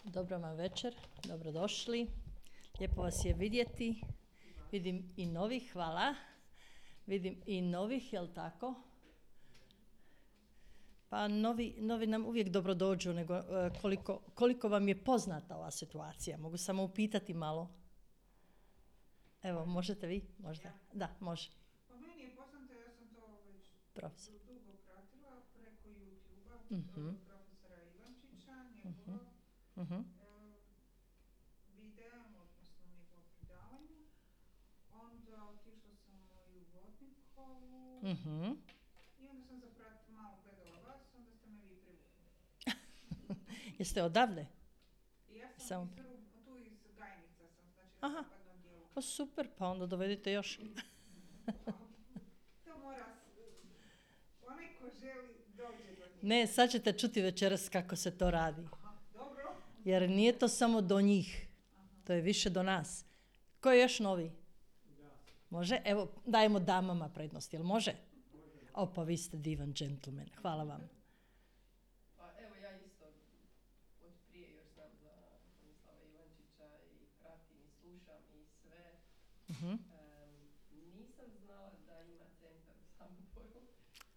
Dobro vam večer, dobrodošli. Lijepo vas je vidjeti. Vidim i novih, hvala. Vidim i novih, jel tako? Pa novi nam uvijek dobro dođu, nego koliko vam je poznata ova situacija. Mogu samo upitati malo. Evo, možete vi? Možda? Da, može. Pa meni je poznato, ja sam to već Profesor. dugo pratila preko YouTube-a, profesora Ivančića, njegovog videa, odnosno njegovog predavanja. Onda otišla sam i u Vodnikovu i onda sam malo gledala vas, onda ste me vi privukli. Jeste odavde? Ja sam tu iz Gajnica sam, znači na zapadnom dijelu. O, super, pa onda dovedite još. To mora, onaj ko želi dođe do njih. Ne, sad ćete čuti večeras kako se to radi. Aha, dobro. Jer nije to samo do njih, to je više do nas. Ko je još novi? Može? Evo, dajemo damama prednost, jel može? O, pa vi ste divan džentlmen, hvala vam. Pa evo ja isto od prije još znam za Tomislava Ivančića i pratim i slušam i sve. Nisam znala da ima centar u Samoboru.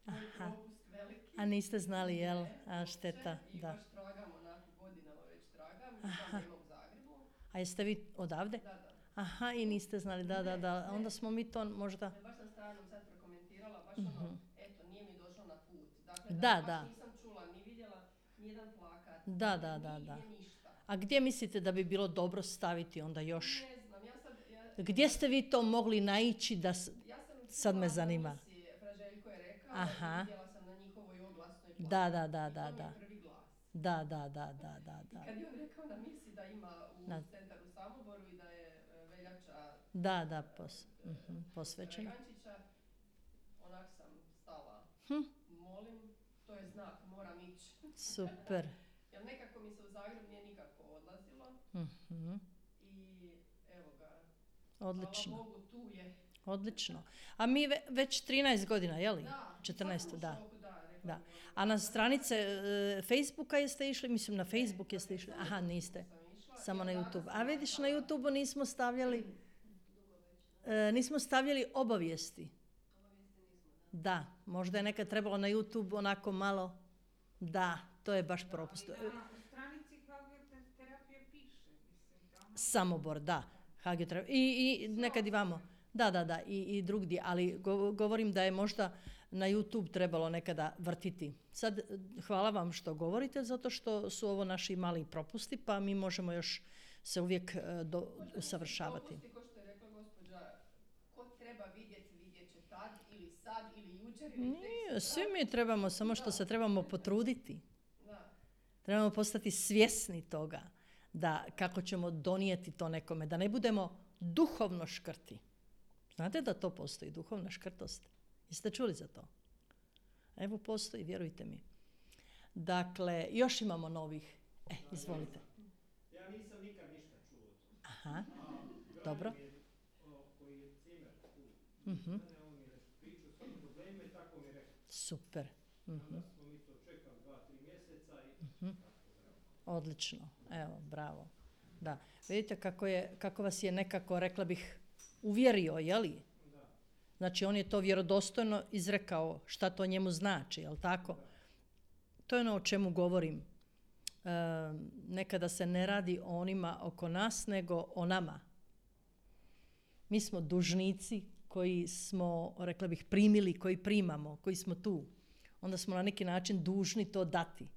Moj propust veliki. A niste znali, jel? A šteta, I da. baš tragam, onako godinama već tragam. I znam da ima u Zagrebu. A jeste vi odavde? Da. Aha, i niste znali, da. Onda smo mi to možda... Baš sam stranom sad prokomentirala, baš ono, eto, nije mi došlo na put. Dakle, Da. baš nisam čula, ni vidjela nijedan plakat. Da. Nije ništa. A gdje mislite da bi bilo dobro staviti onda još? Ne znam, Gdje ste vi to mogli naići da... Sad me zanima. Fraželjko je rekao, Aha. vidjela sam na njihovoj oglasnoj plakati. Da. To mi je prvi glas. Da. I kad je on rekao na misi da ima u centar u Samoboru i da je veljača posvećen. Ivančića, onak sam stala. Molim, to je znak, moram ići. Super. Jer nekako mi se u Zagreb nije nikako odlazilo. I evo ga. Odlično. Hvala Bogu, tu je. Odlično. A mi već 13 godina, je li? Da. 14, da. Da. A na stranice Facebooka jeste išli? Mislim, na Facebook jeste išli? Aha, niste. Samo na YouTube. A vidiš, na YouTube nismo stavljali obavijesti. Da, možda je nekad trebalo na YouTube onako malo. Da, to je baš propust. Na stranici hagioterapije piše, mislim. Samobor, da. I nekad i vamo. Da, i drugdje, ali govorim da je možda na YouTube trebalo nekada vrtiti. Sad, hvala vam što govorite, zato što su ovo naši mali propusti, pa mi možemo još se uvijek usavršavati. Propusti, ko što je rekla gospođa, ko treba vidjet će tad ili sad ili jučer ili Nije, svi mi trebamo, samo što se trebamo potruditi. Da. Trebamo postati svjesni toga da kako ćemo donijeti to nekome, da ne budemo duhovno škrti. Znate da to postoji, duhovna škrtost? Jeste čuli za to? Evo postoji, vjerujte mi. Dakle, još imamo novih. Izvolite. Ja nisam nikad ništa čuo o tom. Aha, dobro. Koji je cimer tu, on mi je pričao svoje probleme i tako mi je rekao. Super. Onda smo mi to čekali 2-3 mjeseca i Odlično, evo, bravo. Da, vidite kako vas je nekako, rekla bih, uvjerio, jeli? Da. Znači, on je to vjerodostojno izrekao šta to njemu znači, jel tako? Da. To je ono o čemu govorim. Nekada se ne radi o onima oko nas, nego o nama. Mi smo dužnici koji smo, rekla bih, primili, koji primamo, koji smo tu. Onda smo na neki način dužni to dati.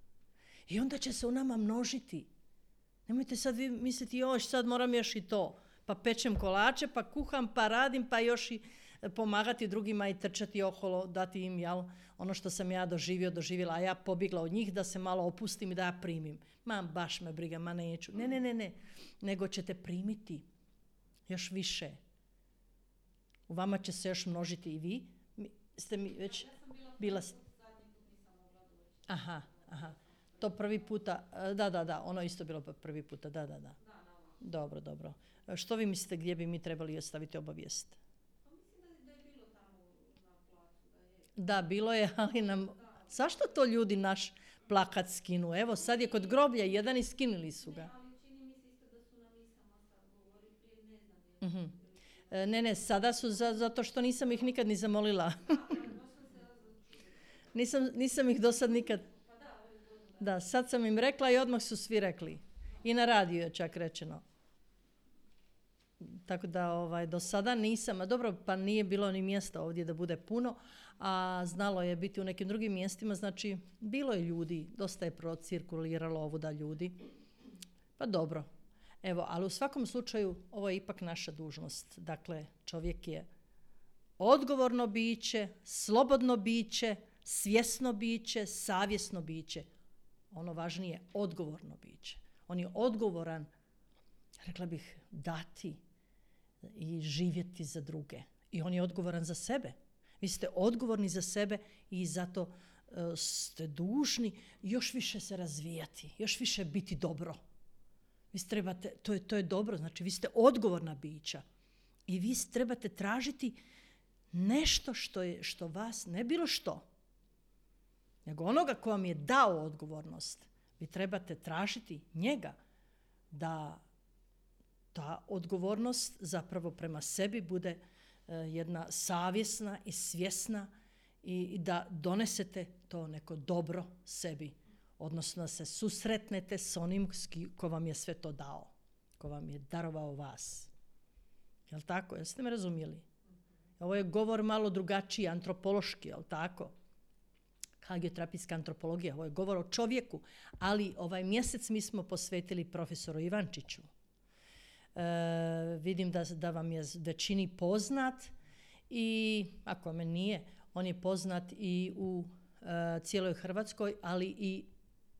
I onda će se u nama množiti. Nemojte sad vi misliti, još sad moram još i to. Pa pečem kolače, pa kuham, pa radim, pa još i pomagati drugima i trčati okolo, dati im ono što sam ja doživjela, a ja pobjegla od njih da se malo opustim i da ja primim. Baš me briga, neću. Ne. Nego ćete primiti još više. U vama će se još množiti i vi. Ste mi već bila... Aha. To prvi puta, da, ono isto bilo prvi puta, da. Dobro. Što vi mislite gdje bi mi trebali ostaviti obavijest? Pa mislim da je bilo tamo na placu, da je. Da, bilo je, ali nam... Zašto to ljudi plakat skinu. Evo sad je kod groblja jedan i skinuli su ga. Ali čini mi se isto da su na misama sad govori, prije ne znam. Mhm. Ne, sada su zato što nisam ih nikad ni zamolila. Nisam ih do sad nikad... Da, sad sam im rekla i odmah su svi rekli. I na radiju je čak rečeno. Tako da do sada nisam, a dobro, pa nije bilo ni mjesta ovdje da bude puno, a znalo je biti u nekim drugim mjestima, znači bilo je ljudi, dosta je procirkuliralo ovuda ljudi. Pa dobro. Evo, ali u svakom slučaju ovo je ipak naša dužnost. Dakle, čovjek je odgovorno biće, slobodno biće, svjesno biće, savjesno biće. Ono važnije, odgovorno biće. On je odgovoran, rekla bih, dati i živjeti za druge. I on je odgovoran za sebe. Vi ste odgovorni za sebe i zato ste dužni još više se razvijati, još više biti dobro. Vi trebate, to je dobro, znači vi ste odgovorna bića i vi trebate tražiti nešto što vas, ne bilo što, nego onoga ko vam je dao odgovornost. Vi trebate tražiti njega da ta odgovornost zapravo prema sebi bude jedna savjesna i svjesna i da donesete to neko dobro sebi. Odnosno da se susretnete s onim ko vam je sve to dao, ko vam je darovao vas. Jel' tako? Jeste me razumjeli? Ovo je govor malo drugačiji, antropološki, jel' tako? Hagioterapijska antropologija, ovo je govor o čovjeku, ali ovaj mjesec mi smo posvetili profesoru Ivančiću. Vidim da vam je većini poznat i ako me nije, on je poznat i u cijeloj Hrvatskoj, ali i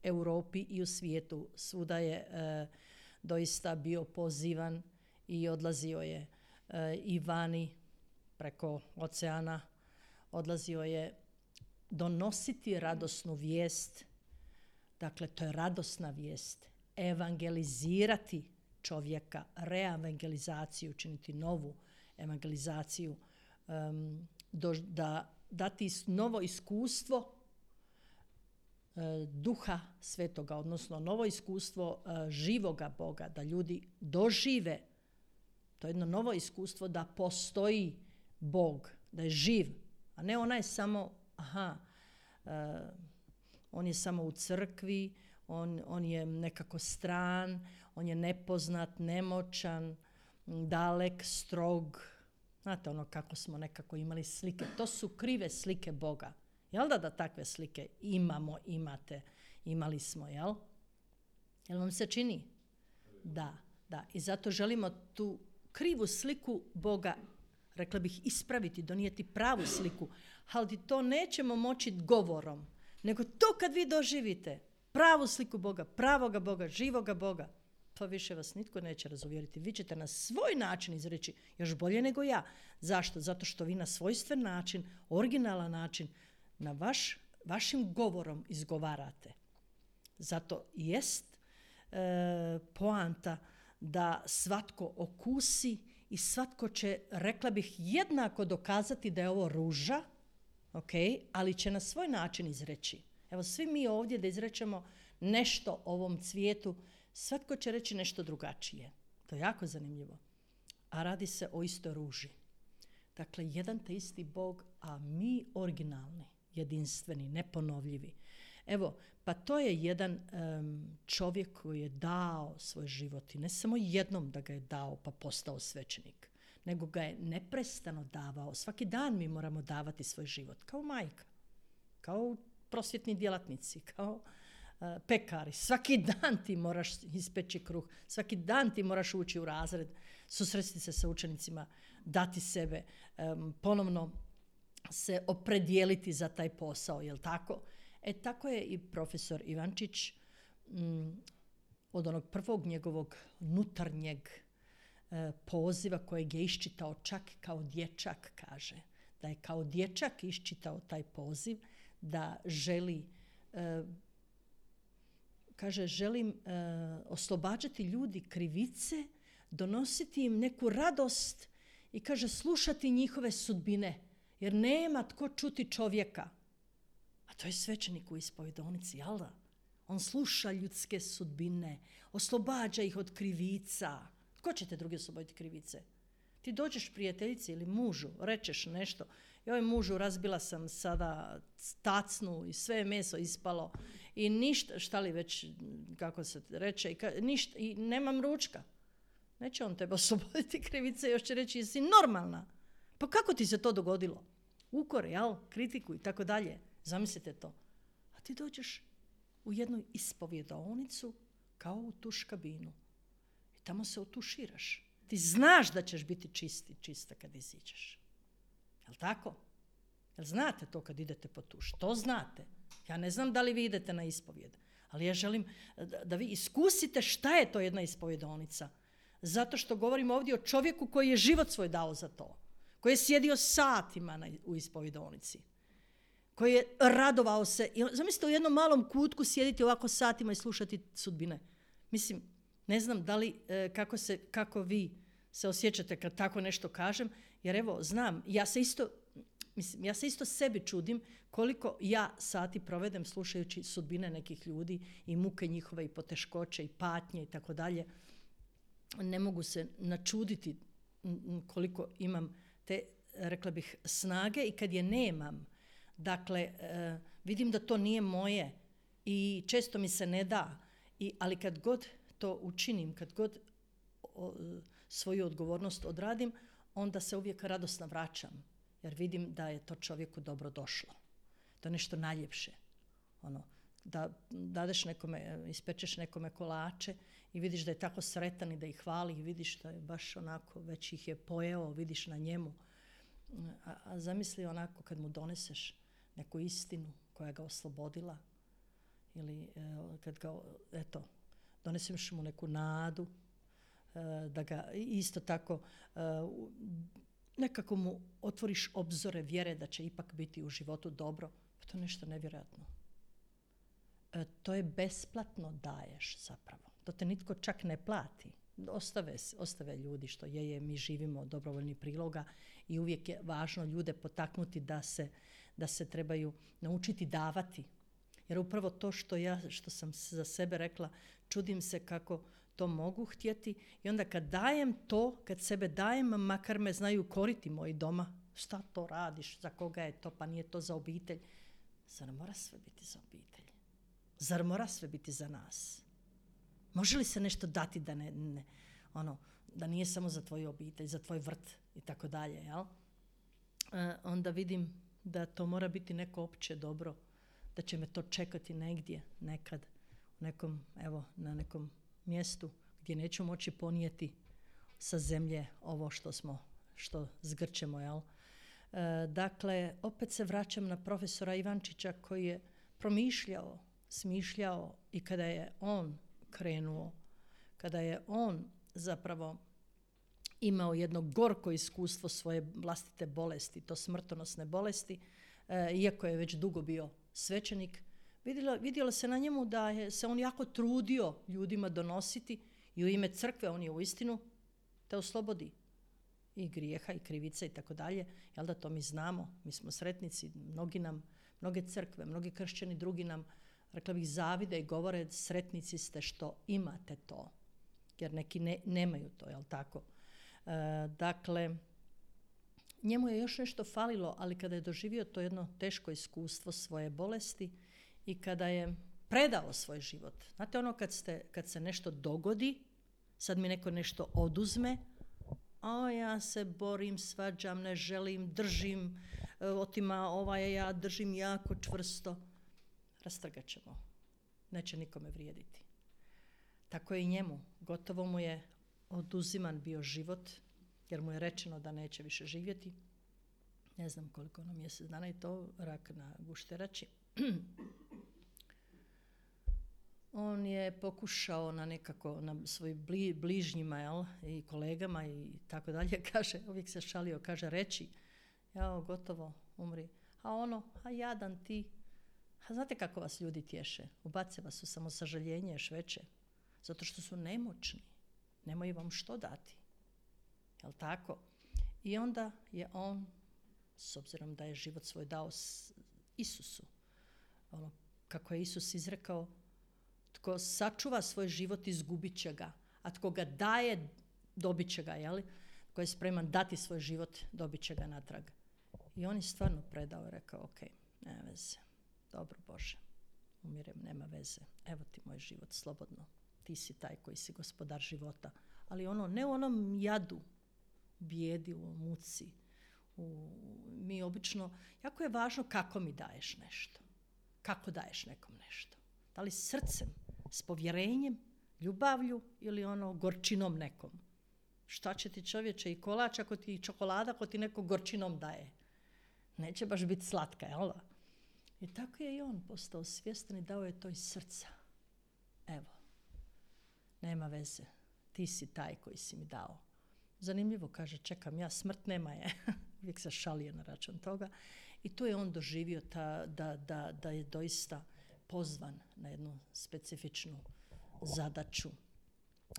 Europi i u svijetu. Svuda je doista bio pozivan i odlazio je i vani preko oceana, odlazio je donositi radosnu vijest. Dakle, to je radosna vijest. Evangelizirati čovjeka, reevangelizaciju, učiniti novu evangelizaciju, dati novo iskustvo Duha Svetoga, odnosno novo iskustvo živoga Boga, da ljudi dožive to jedno novo iskustvo da postoji Bog, da je živ, a ne ona je samo, on je samo u crkvi, on je nekako stran, on je nepoznat, nemoćan, dalek, strog. Znate ono kako smo nekako imali slike. To su krive slike Boga. Jel da takve slike imate, imali smo, jel? Jel vam se čini? Da. I zato želimo tu krivu sliku Boga, rekla bih, ispraviti, donijeti pravu sliku. Ali to nećemo moći govorom, nego to kad vi doživite pravu sliku Boga, pravoga Boga, živoga Boga, to više vas nitko neće razuvjeriti. Vi ćete na svoj način izreći još bolje nego ja. Zašto? Zato što vi na svojstven način, originalan način, na vašim govorom izgovarate. Zato jest poanta da svatko okusi i svatko će, rekla bih, jednako dokazati da je ovo ruža, ali će na svoj način izreći. Evo, svi mi ovdje da izrečemo nešto o ovom cvijetu, svatko će reći nešto drugačije. To je jako zanimljivo. A radi se o istoj ruži. Dakle, jedan te isti Bog, a mi originalni, jedinstveni, neponovljivi. Evo, pa to je jedan čovjek koji je dao svoj život i ne samo jednom da ga je dao pa postao svećenik, nego ga je neprestano davao. Svaki dan mi moramo davati svoj život, kao majka, kao prosvjetni djelatnici, kao pekari. Svaki dan ti moraš ispeći kruh, svaki dan ti moraš ući u razred, susresti se sa učenicima, dati sebe, ponovno se opredijeliti za taj posao, jel tako? Tako je i profesor Ivančić od onog prvog njegovog unutarnjeg poziva kojeg je iščitao čak kao dječak, kaže. Da je kao dječak iščitao taj poziv, da želi, kaže, želim oslobađati ljudi krivice, donositi im neku radost i, kaže, slušati njihove sudbine, jer nema tko čuti čovjeka. A to je svećenik u ispovedonici, jel da? On sluša ljudske sudbine, oslobađa ih od krivica. Ko će te drugi osloboditi krivice? Ti dođeš prijateljici ili mužu, rečeš nešto. Joj mužu, razbila sam sada tacnu i sve je meso ispalo i ništa, šta li već, kako se reče, ništa, i nemam ručka. Neće on tebe osloboditi krivice, još će reći jesi normalna. Pa kako ti se to dogodilo? Ukore, kritiku i tako dalje. Zamislite to. A ti dođeš u jednu ispovjedaonicu kao u tuš kabinu. I tamo se otuširaš. Ti znaš da ćeš biti čista kad iziđeš. Jel' tako? Jel' znate to kad idete po tuš? To znate. Ja ne znam da li vi idete na ispovjed, ali ja želim da vi iskusite šta je to jedna ispovjedaonica. Zato što govorim ovdje o čovjeku koji je život svoj dao za to. Koji je sjedio satima u ispovjedaonici. Koji je radovao se. Zamislite u jednom malom kutku sjediti ovako satima i slušati sudbine. Mislim, ne znam da li, kako vi se osjećate kad tako nešto kažem, jer evo, znam, ja se isto sebi čudim koliko ja sati provedem slušajući sudbine nekih ljudi i muke njihove i poteškoće i patnje i tako dalje. Ne mogu se načuditi koliko imam te, rekla bih, snage i kad je nemam. Dakle, vidim da to nije moje i često mi se ne da. Ali kad god to učinim, kad god svoju odgovornost odradim, onda se uvijek radosno vraćam. Jer vidim da je to čovjeku dobro došlo. To je nešto najljepše. Da dadeš nekome, ispečeš nekome kolače i vidiš da je tako sretan i da ih hvali i vidiš da je baš onako, već ih je pojeo, vidiš na njemu. A zamisli onako kad mu doneseš neku istinu koja ga oslobodila ili kad ga, doneseš mu neku nadu, da ga isto tako nekako mu otvoriš obzore vjere da će ipak biti u životu dobro. Pa to je nešto nevjerojatno. To je besplatno daješ zapravo. To te nitko čak ne plati. Ostave ljudi što mi živimo od dobrovoljnih priloga i uvijek je važno ljude potaknuti da se trebaju naučiti davati. Jer upravo to što sam za sebe rekla, čudim se kako to mogu htjeti i onda kad dajem to, kad sebe dajem, makar me znaju koriti moji doma, šta to radiš, za koga je to, pa nije to za obitelj. Zar mora sve biti za obitelj? Zar mora sve biti za nas? Može li se nešto dati da nije samo za tvoju obitelj, za tvoj vrt i tako dalje, jel? Onda vidim da to mora biti neko opće dobro, da će me to čekati negdje, nekad, na nekom mjestu gdje neću moći ponijeti sa zemlje ovo što zgrčemo, jel? Dakle, opet se vraćam na profesora Ivančića koji je promišljao, smišljao i kada je on krenuo, kada je on zapravo imao jedno gorko iskustvo svoje vlastite bolesti, to smrtonosne bolesti, iako je već dugo bio svećenik, vidjelo se na njemu da je se on jako trudio ljudima donositi i u ime crkve on je uistinu te oslobodi i grijeha i krivice i tako dalje. Jel da to mi znamo, mi smo sretnici, mnoge crkve, mnogi kršćani, drugi nam, rekla bih, zavide i govore sretnici ste što imate to, jer neki nemaju to, jel tako? Dakle, njemu je još nešto falilo, ali kada je doživio to jedno teško iskustvo svoje bolesti i kada je predao svoj život. Znate kad se nešto dogodi, sad mi neko nešto oduzme, ja se borim, svađam, ne želim, držim, otima ja držim jako čvrsto. Rastrgat ćemo. Neće nikome vrijediti. Tako je i njemu. Gotovo mu je oduziman bio život, jer mu je rečeno da neće više živjeti. Ne znam koliko mjesec dana i to rak na gušterači. On je pokušao na svojim bližnjima, i kolegama i tako dalje, kaže, uvijek se šalio, kaže, reći, gotovo, umri. A jadan ti. A znate kako vas ljudi tješe? Ubace vas u samosažaljenje još veće. Zato što su nemoćni. Nemaju vam što dati. Jel' tako? I onda je on, s obzirom da je život svoj dao Isusu, kako je Isus izrekao, Tko sačuva svoj život, izgubit će ga. A tko ga daje, dobit će ga, jeli? Tko je spreman dati svoj život, dobit će ga natrag. I on je stvarno predao i rekao, ok, nema veze. Dobro, Bože, umirem, nema veze. Evo ti moj život, slobodno. Ti si taj koji si gospodar života. Ali ne u onom jadu, bijedi, u muci. Mi obično, jako je važno kako mi daješ nešto. Kako daješ nekom nešto. Da li srcem, s povjerenjem, ljubavlju ili gorčinom nekom. Šta će ti, čovječe, i kolač ako ti, i čokolada ako ti neko gorčinom daje. Neće baš biti slatka, jel? I tako je i on postao svjestan i dao je to iz srca. Evo, nema veze, ti si taj koji si mi dao. Zanimljivo, kaže, čekam ja, smrt nema je. Uvijek se šalio na račun toga. I tu je on doživio da je doista pozvan na jednu specifičnu zadaću.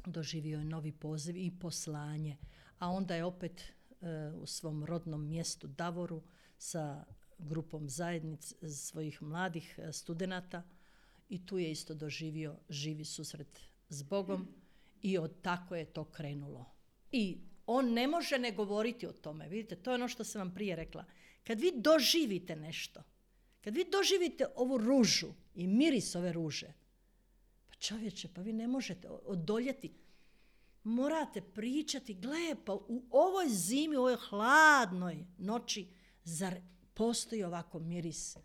Doživio je novi poziv i poslanje. A onda je opet u svom rodnom mjestu Davoru sa grupom svojih mladih studenata i tu je isto doživio živi susret s Bogom i tako je to krenulo. I on ne može ne govoriti o tome. Vidite, to je ono što sam vam prije rekla. Kad vi doživite nešto, kad vi doživite ovu ružu i miris ove ruže, pa čovječe, pa vi ne možete odoljeti. Morate pričati, gle, pa u ovoj zimi, u ovoj hladnoj noći, zar postoji ovako miris?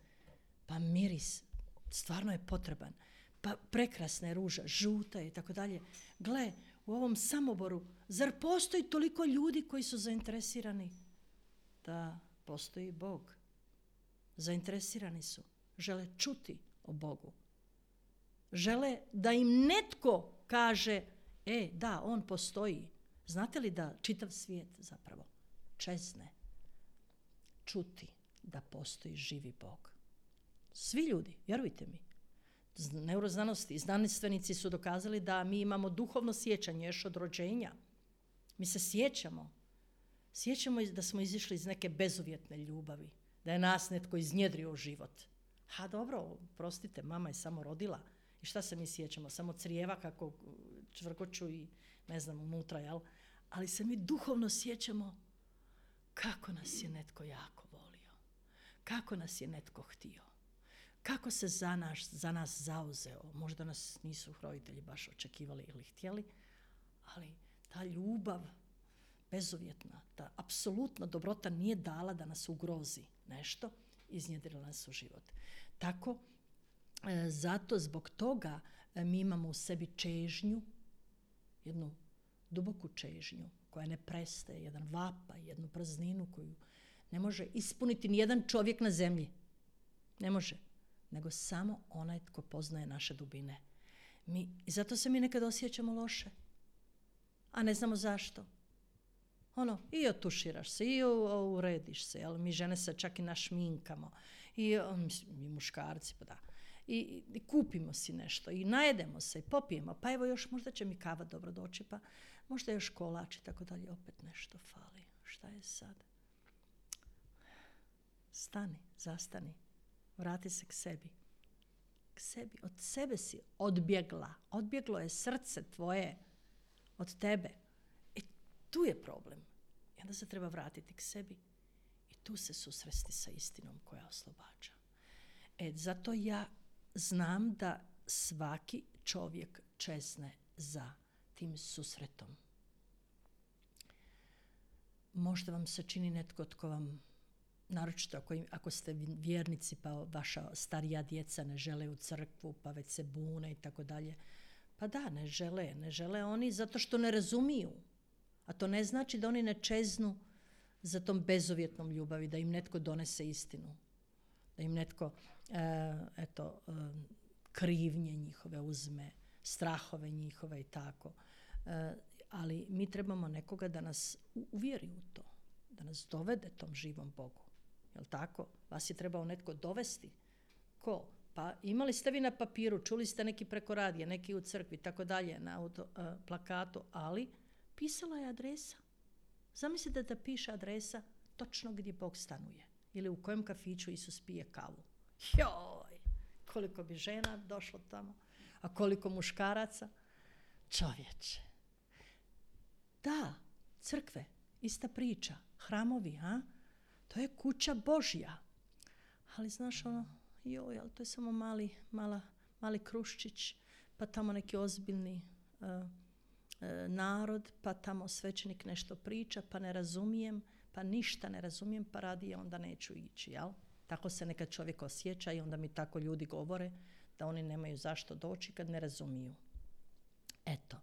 Pa miris stvarno je potreban. Pa prekrasna je ruža, žuta je i tako dalje. Gle, u ovom Samoboru, zar postoji toliko ljudi koji su zainteresirani? Da, postoji Bog. Zainteresirani su. Žele čuti o Bogu. Žele da im netko kaže, da, on postoji. Znate li da čitav svijet zapravo čezne čuti da postoji živi Bog? Svi ljudi, vjerujte mi. Neuroznanosti i znanstvenici su dokazali da mi imamo duhovno sjećanje još od rođenja. Mi se sjećamo. Sjećamo da smo izišli iz neke bezuvjetne ljubavi. Da je nas netko iznjedrio u život. Ha dobro, prostite, mama je samo rodila. I šta se mi sjećamo? Samo crijeva kako čvrkoću i ne znam unutra, jel? Ali se mi duhovno sjećamo kako nas je netko jako volio. Kako nas je netko htio. Kako se za nas zauzeo. Možda nas nisu roditelji baš očekivali ili htjeli, ali ta ljubav bezuvjetna, ta apsolutna dobrota nije dala da nas ugrozi nešto, iznjedrila nas u život. Tako, zato zbog toga mi imamo u sebi čežnju, jednu duboku čežnju koja ne prestaje, jedan vapaj, jednu prazninu koju ne može ispuniti nijedan čovjek na zemlji. Ne može, nego samo onaj tko poznaje naše dubine. I zato se mi nekad osjećamo loše, a ne znamo zašto. I otuširaš se, i urediš se, jel? Mi žene se čak i našminkamo, i muškarci, pa da. I kupimo si nešto, i najedemo se, i popijemo, pa evo još možda će mi kava dobro doći, pa možda još kolač i tako dalje, opet nešto fali. Šta je sad? Stani, zastani, vrati se k sebi. K sebi, od sebe si odbjegla, odbjeglo je srce tvoje od tebe. Tu je problem. I onda se treba vratiti k sebi i tu se susresti sa istinom koja oslobađa. Zato ja znam da svaki čovjek čezne za tim susretom. Možda vam se čini netko tko vam, naročito ako ste vjernici pa vaša starija djeca ne žele u crkvu pa već se bune i tako dalje. Pa da, ne žele oni zato što ne razumiju. A to ne znači da oni ne čeznu za tom bezuvjetnom ljubavi, da im netko donese istinu. Da im netko, krivnje njihove uzme, strahove njihove i tako. Ali mi trebamo nekoga da nas uvjeri u to, da nas dovede tom živom Bogu. Jel' tako? Vas je trebao netko dovesti. Ko? Pa imali ste vi na papiru, čuli ste neki preko radija, neki u crkvi, tako dalje, na plakatu, ali pisala je adresa. Zamislite da piše adresa točno gdje Bog stanuje ili u kojem kafiću Isus pije kavu. Joj, koliko bi žena došlo tamo. A koliko muškaraca? Čovječe. Da, crkve, ista priča. Hramovi, a? To je kuća Božja. Ali znaš ono, joj, ali to je samo mali kruščić, pa tamo neki ozbiljni narod, pa tamo svećenik nešto priča, pa ne razumijem, pa ništa ne razumijem, pa radije onda neću ići, jel? Tako se nekad čovjek osjeća i onda mi tako ljudi govore da oni nemaju zašto doći kad ne razumiju. Eto,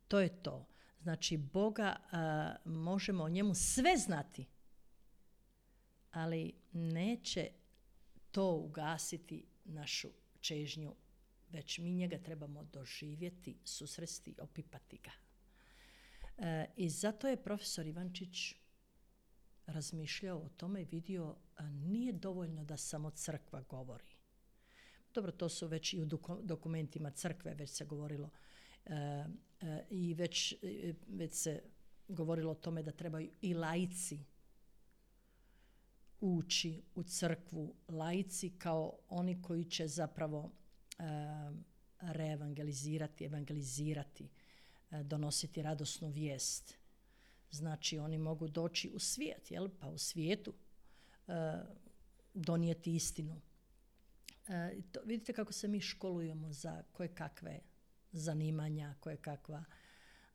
to je to. Znači, Boga možemo o njemu sve znati, ali neće to ugasiti našu čežnju, već mi njega trebamo doživjeti, susresti, opipati ga. I zato je profesor Ivančić razmišljao o tome i vidio, nije dovoljno da samo crkva govori. Dobro, to su već i u dokumentima crkve već se govorilo i već se govorilo o tome da trebaju i laici ući u crkvu, laici kao oni koji će zapravo evangelizirati, donositi radosnu vijest. Znači, oni mogu doći u svijet, jel? Pa u svijetu donijeti istinu. Vidite kako se mi školujemo za koje kakve zanimanja, koje kakva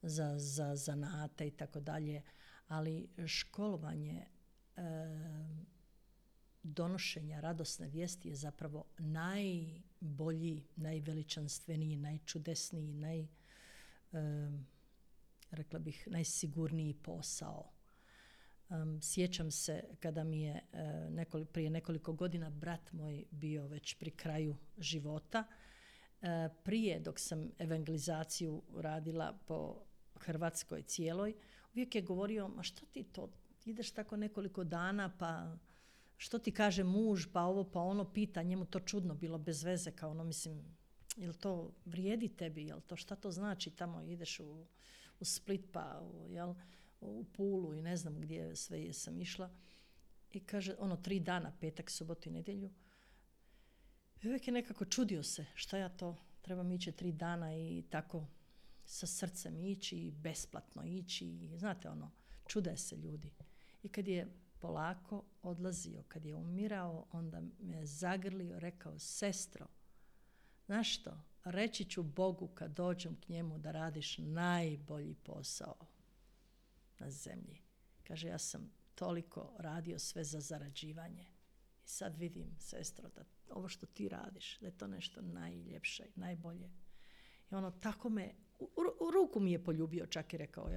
za zanate i tako dalje, ali školovanje donošenja radosne vijesti je zapravo najbolji, najveličanstveniji, najčudesniji, rekla bih, najsigurniji posao. Sjećam se kada mi je prije nekoliko godina brat moj bio već pri kraju života. Prije, dok sam evangelizaciju radila po Hrvatskoj cijeloj, uvijek je govorio, ma što ti to, ideš tako nekoliko dana, pa što ti kaže muž, pa ovo, pa ono, pita, njemu to čudno bilo, bez veze, kao ono, mislim, jel to vrijedi tebi, jel to, šta to znači, tamo ideš u Split, pa u Pulu i ne znam gdje sve sam išla. I kaže, 3 dana, petak, subotu i nedjelju. I uvijek je nekako čudio se, šta ja to, trebam ići 3 dana i tako sa srcem ići i besplatno ići. I, znate, čude se ljudi. I kad je polako odlazio, kad je umirao, onda me zagrlio, rekao, sestro, znaš što, reći ću Bogu kad dođem k njemu da radiš najbolji posao na zemlji. Kaže, ja sam toliko radio sve za zarađivanje. I sad vidim, sestro, da ovo što ti radiš, da je to nešto najljepše, najbolje. I tako me, u ruku mi je poljubio čak i rekao,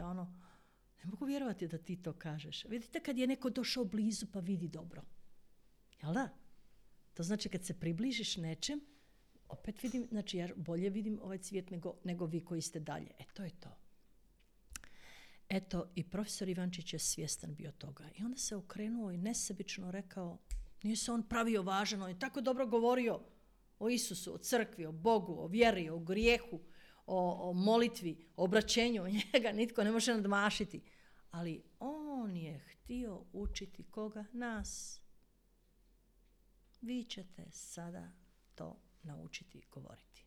ne mogu vjerovati da ti to kažeš. Vidite kad je neko došao blizu pa vidi dobro. Jel da? To znači kad se približiš nečem, opet vidim, znači ja bolje vidim ovaj cvijet nego vi koji ste dalje. To je to. Eto, i profesor Ivančić je svjestan bio toga. I onda se okrenuo i nesebično rekao, nije se on pravio važan, on je tako dobro govorio o Isusu, o crkvi, o Bogu, o vjeri, o grijehu, o molitvi, o obraćenju. Njega nitko ne može nadmašiti. Ali on je htio učiti koga? Nas. Vi ćete sada to naučiti govoriti.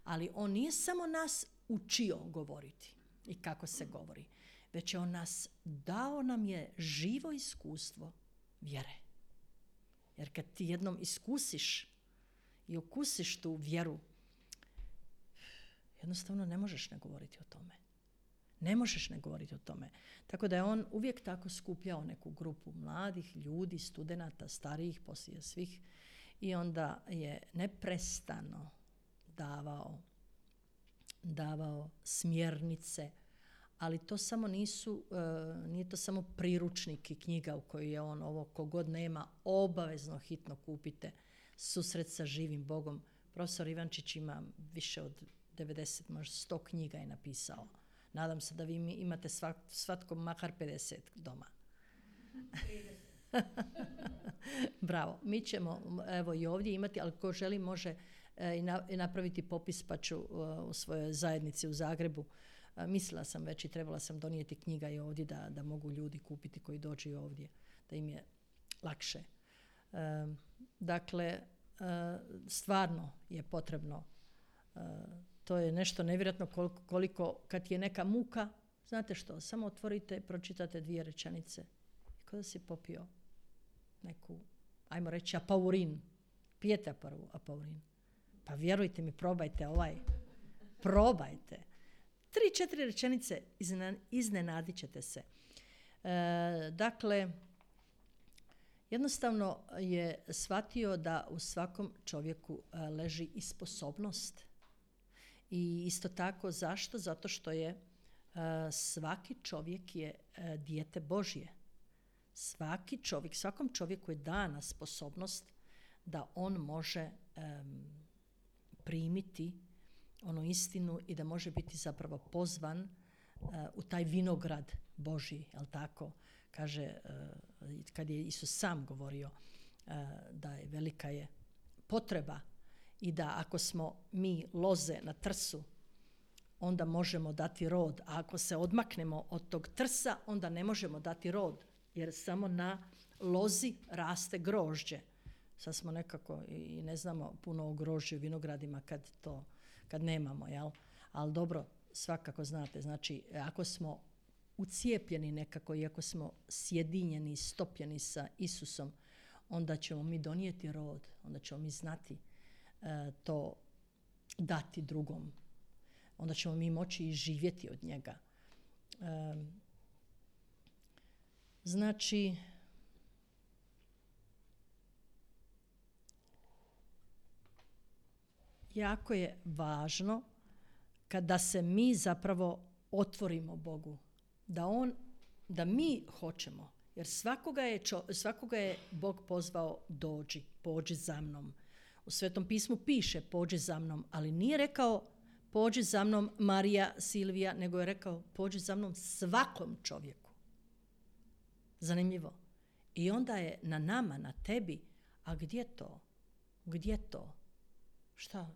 Ali on nije samo nas učio govoriti i kako se govori, već je on dao nam je živo iskustvo vjere. Jer kad ti jednom iskusiš i okusiš tu vjeru, jednostavno ne možeš ne govoriti o tome. Ne možeš ne govoriti o tome. Tako da je on uvijek tako skupljao neku grupu mladih ljudi, studenata, starijih, poslije svih. I onda je neprestano davao smjernice, ali to samo nije to samo priručnik i knjiga u kojoj je on ovo, kogod nema, obavezno hitno kupite Susret sa živim Bogom. Profesor Ivančić ima više od 90, možda 100 knjiga je napisao. Nadam se da vi imate svatko makar 50 doma. Bravo. Mi ćemo evo i ovdje imati, ali ko želi može i napraviti popis, pa ću u svojoj zajednici u Zagrebu. Mislila sam već i trebala sam donijeti knjiga i ovdje da mogu ljudi kupiti koji dođu ovdje, da im je lakše. Dakle, stvarno je potrebno To je nešto nevjerojatno koliko kad je neka muka, znate što, samo otvorite, pročitate 2 rečenice. Kao da si popio neku, ajmo reći, apaurin. Pijete prvu apaurin. Pa vjerujte mi, probajte probajte. 3-4 rečenice, iznenadit ćete se. Dakle, jednostavno je shvatio da u svakom čovjeku leži i sposobnost. I isto tako, zašto? Zato što je svaki čovjek je dijete Božje. Svakom čovjeku je dana sposobnost da on može primiti onu istinu i da može biti zapravo pozvan u taj vinograd Božji, jel tako? Kaže, kad je Isus sam govorio da je velika je potreba i da ako smo mi loze na trsu, onda možemo dati rod, a ako se odmaknemo od tog trsa, onda ne možemo dati rod, jer samo na lozi raste grožđe. Sad smo nekako i ne znamo puno o grožđu vinogradima kad nemamo, jel? Ali dobro, svakako znate, znači ako smo ucijepljeni nekako i ako smo sjedinjeni, stopljeni sa Isusom, onda ćemo mi donijeti rod, onda ćemo mi znati to dati drugom. Onda ćemo mi moći i živjeti od njega. Znači, jako je važno kada se mi zapravo otvorimo Bogu, da mi hoćemo, jer svakoga je Bog pozvao pođi za mnom. U Svetom pismu piše pođi za mnom, ali nije rekao pođi za mnom Marija, Silvija, nego je rekao pođi za mnom svakom čovjeku. Zanimljivo. I onda je na nama, na tebi, a gdje to? Gdje to? Šta?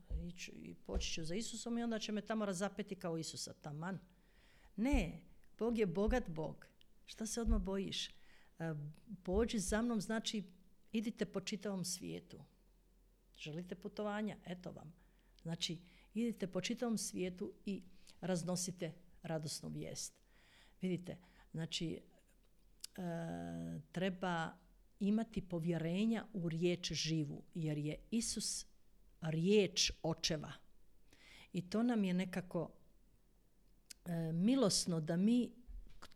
Poći ću za Isusom i onda će me tamo razapeti kao Isusa, taman. Ne, Bog je bogat Bog. Šta se odmah bojiš? Pođi za mnom znači idite po čitavom svijetu. Želite putovanja? Eto vam. Znači, idite po čitavom svijetu i raznosite radosnu vijest. Vidite, znači, treba imati povjerenja u riječ živu, jer je Isus riječ očeva. I to nam je nekako milosno da mi,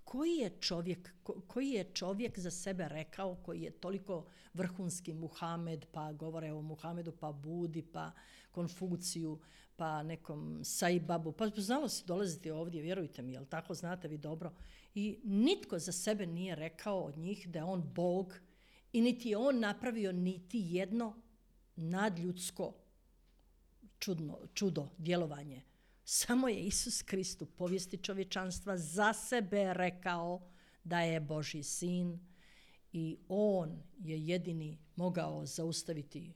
koji je čovjek za sebe rekao, koji je toliko vrhunski Muhamed, pa govore o Muhamedu, pa Budi, pa Konfuciju, pa nekom Saibabu, pa znalo si dolaziti ovdje, vjerujte mi, jel tako, znate vi dobro. I nitko za sebe nije rekao od njih da je on Bog i niti je on napravio niti jedno nadljudsko čudo, djelovanje. Samo je Isus Krist u povijesti čovječanstva za sebe rekao da je Božji sin i on je jedini mogao zaustaviti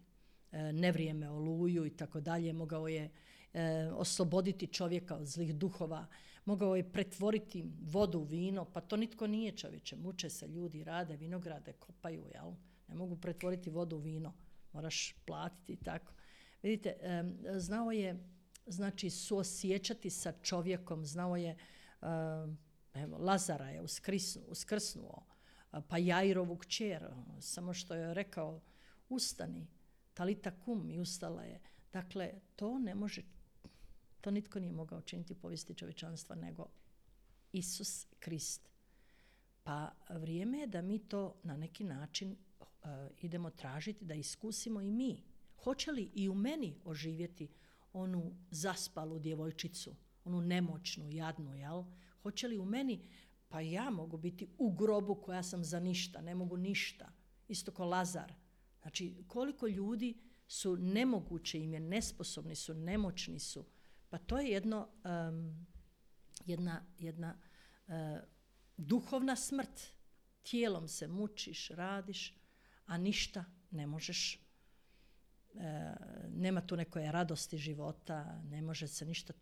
nevrijeme, oluju i tako dalje, mogao je osloboditi čovjeka od zlih duhova, mogao je pretvoriti vodu u vino, pa to nitko nije, čovječe, muče se ljudi, rade vinograde, kopaju, jel? Ne mogu pretvoriti vodu u vino, moraš platiti i tako. Vidite, znao je, znači, suosjećati sa čovjekom, znao je, evo, Lazara je uskrsnuo, pa Jairovu kćer, samo što je rekao, ustani, talita kum, i ustala je. Dakle, to nitko nije mogao činiti u povijesti čovječanstva nego Isus Krist. Pa vrijeme je da mi to na neki način idemo tražiti, da iskusimo i mi. Hoće li i u meni oživjeti onu zaspalu djevojčicu, onu nemoćnu, jadnu, jel? Hoće li u meni, pa ja mogu biti u grobu koja sam za ništa, ne mogu ništa, isto ko Lazar. Znači, koliko ljudi su nemoguće im je, nesposobni su, nemoćni su. Pa to je jedna duhovna smrt. Tijelom se mučiš, radiš, a ništa ne možeš. Nema tu neke radosti života, ne može se ništa,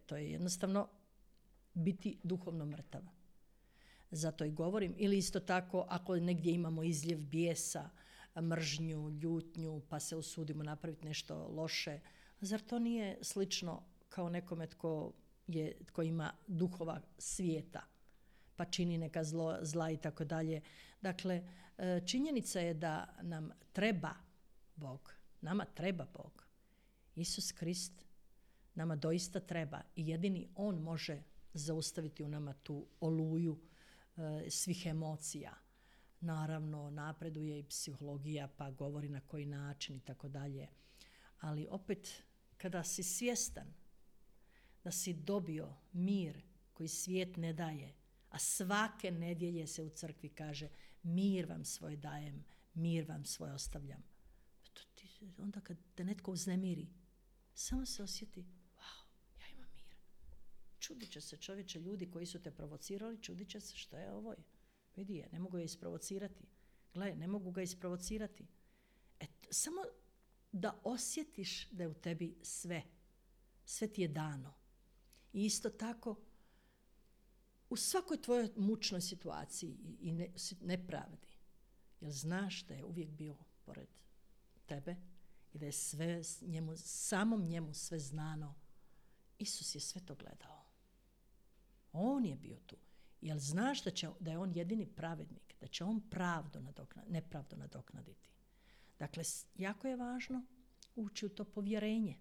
to je jednostavno biti duhovno mrtav. Zato i govorim, ili isto tako ako negdje imamo izljev bijesa, mržnju, ljutnju, pa se usudimo napraviti nešto loše, Zar to nije slično kao nekome tko ima duhova svijeta, pa čini neka zla i tako dalje. Dakle, činjenica je da nam treba Bog. Nama treba Bog. Isus Krist nama doista treba i jedini On može zaustaviti u nama tu oluju svih emocija. Naravno, napreduje i psihologija, pa govori na koji način i tako dalje. Ali opet, kada si svjestan da si dobio mir koji svijet ne daje, a svake nedjelje se u crkvi kaže mir vam svoj dajem, mir vam svoj ostavljam. Onda kad te netko uznemiri, samo se osjeti, wow, ja imam mir. Čudit će se čovječe, ljudi koji su te provocirali, čudit će se što je ovo. Vidi je, ne mogu ga isprovocirati. Gle, ne mogu ga isprovocirati. Samo da osjetiš da je u tebi sve. Sve ti je dano. I isto tako, u svakoj tvojoj mučnoj situaciji i nepravdi, jer znaš da je uvijek bio pored tebe i da je sve njemu, samom njemu sve znano. Isus je sve to gledao. On je bio tu. Jer znaš da je on jedini pravednik, da će on nepravdu nadoknaditi. Dakle, jako je važno ući u to povjerenje.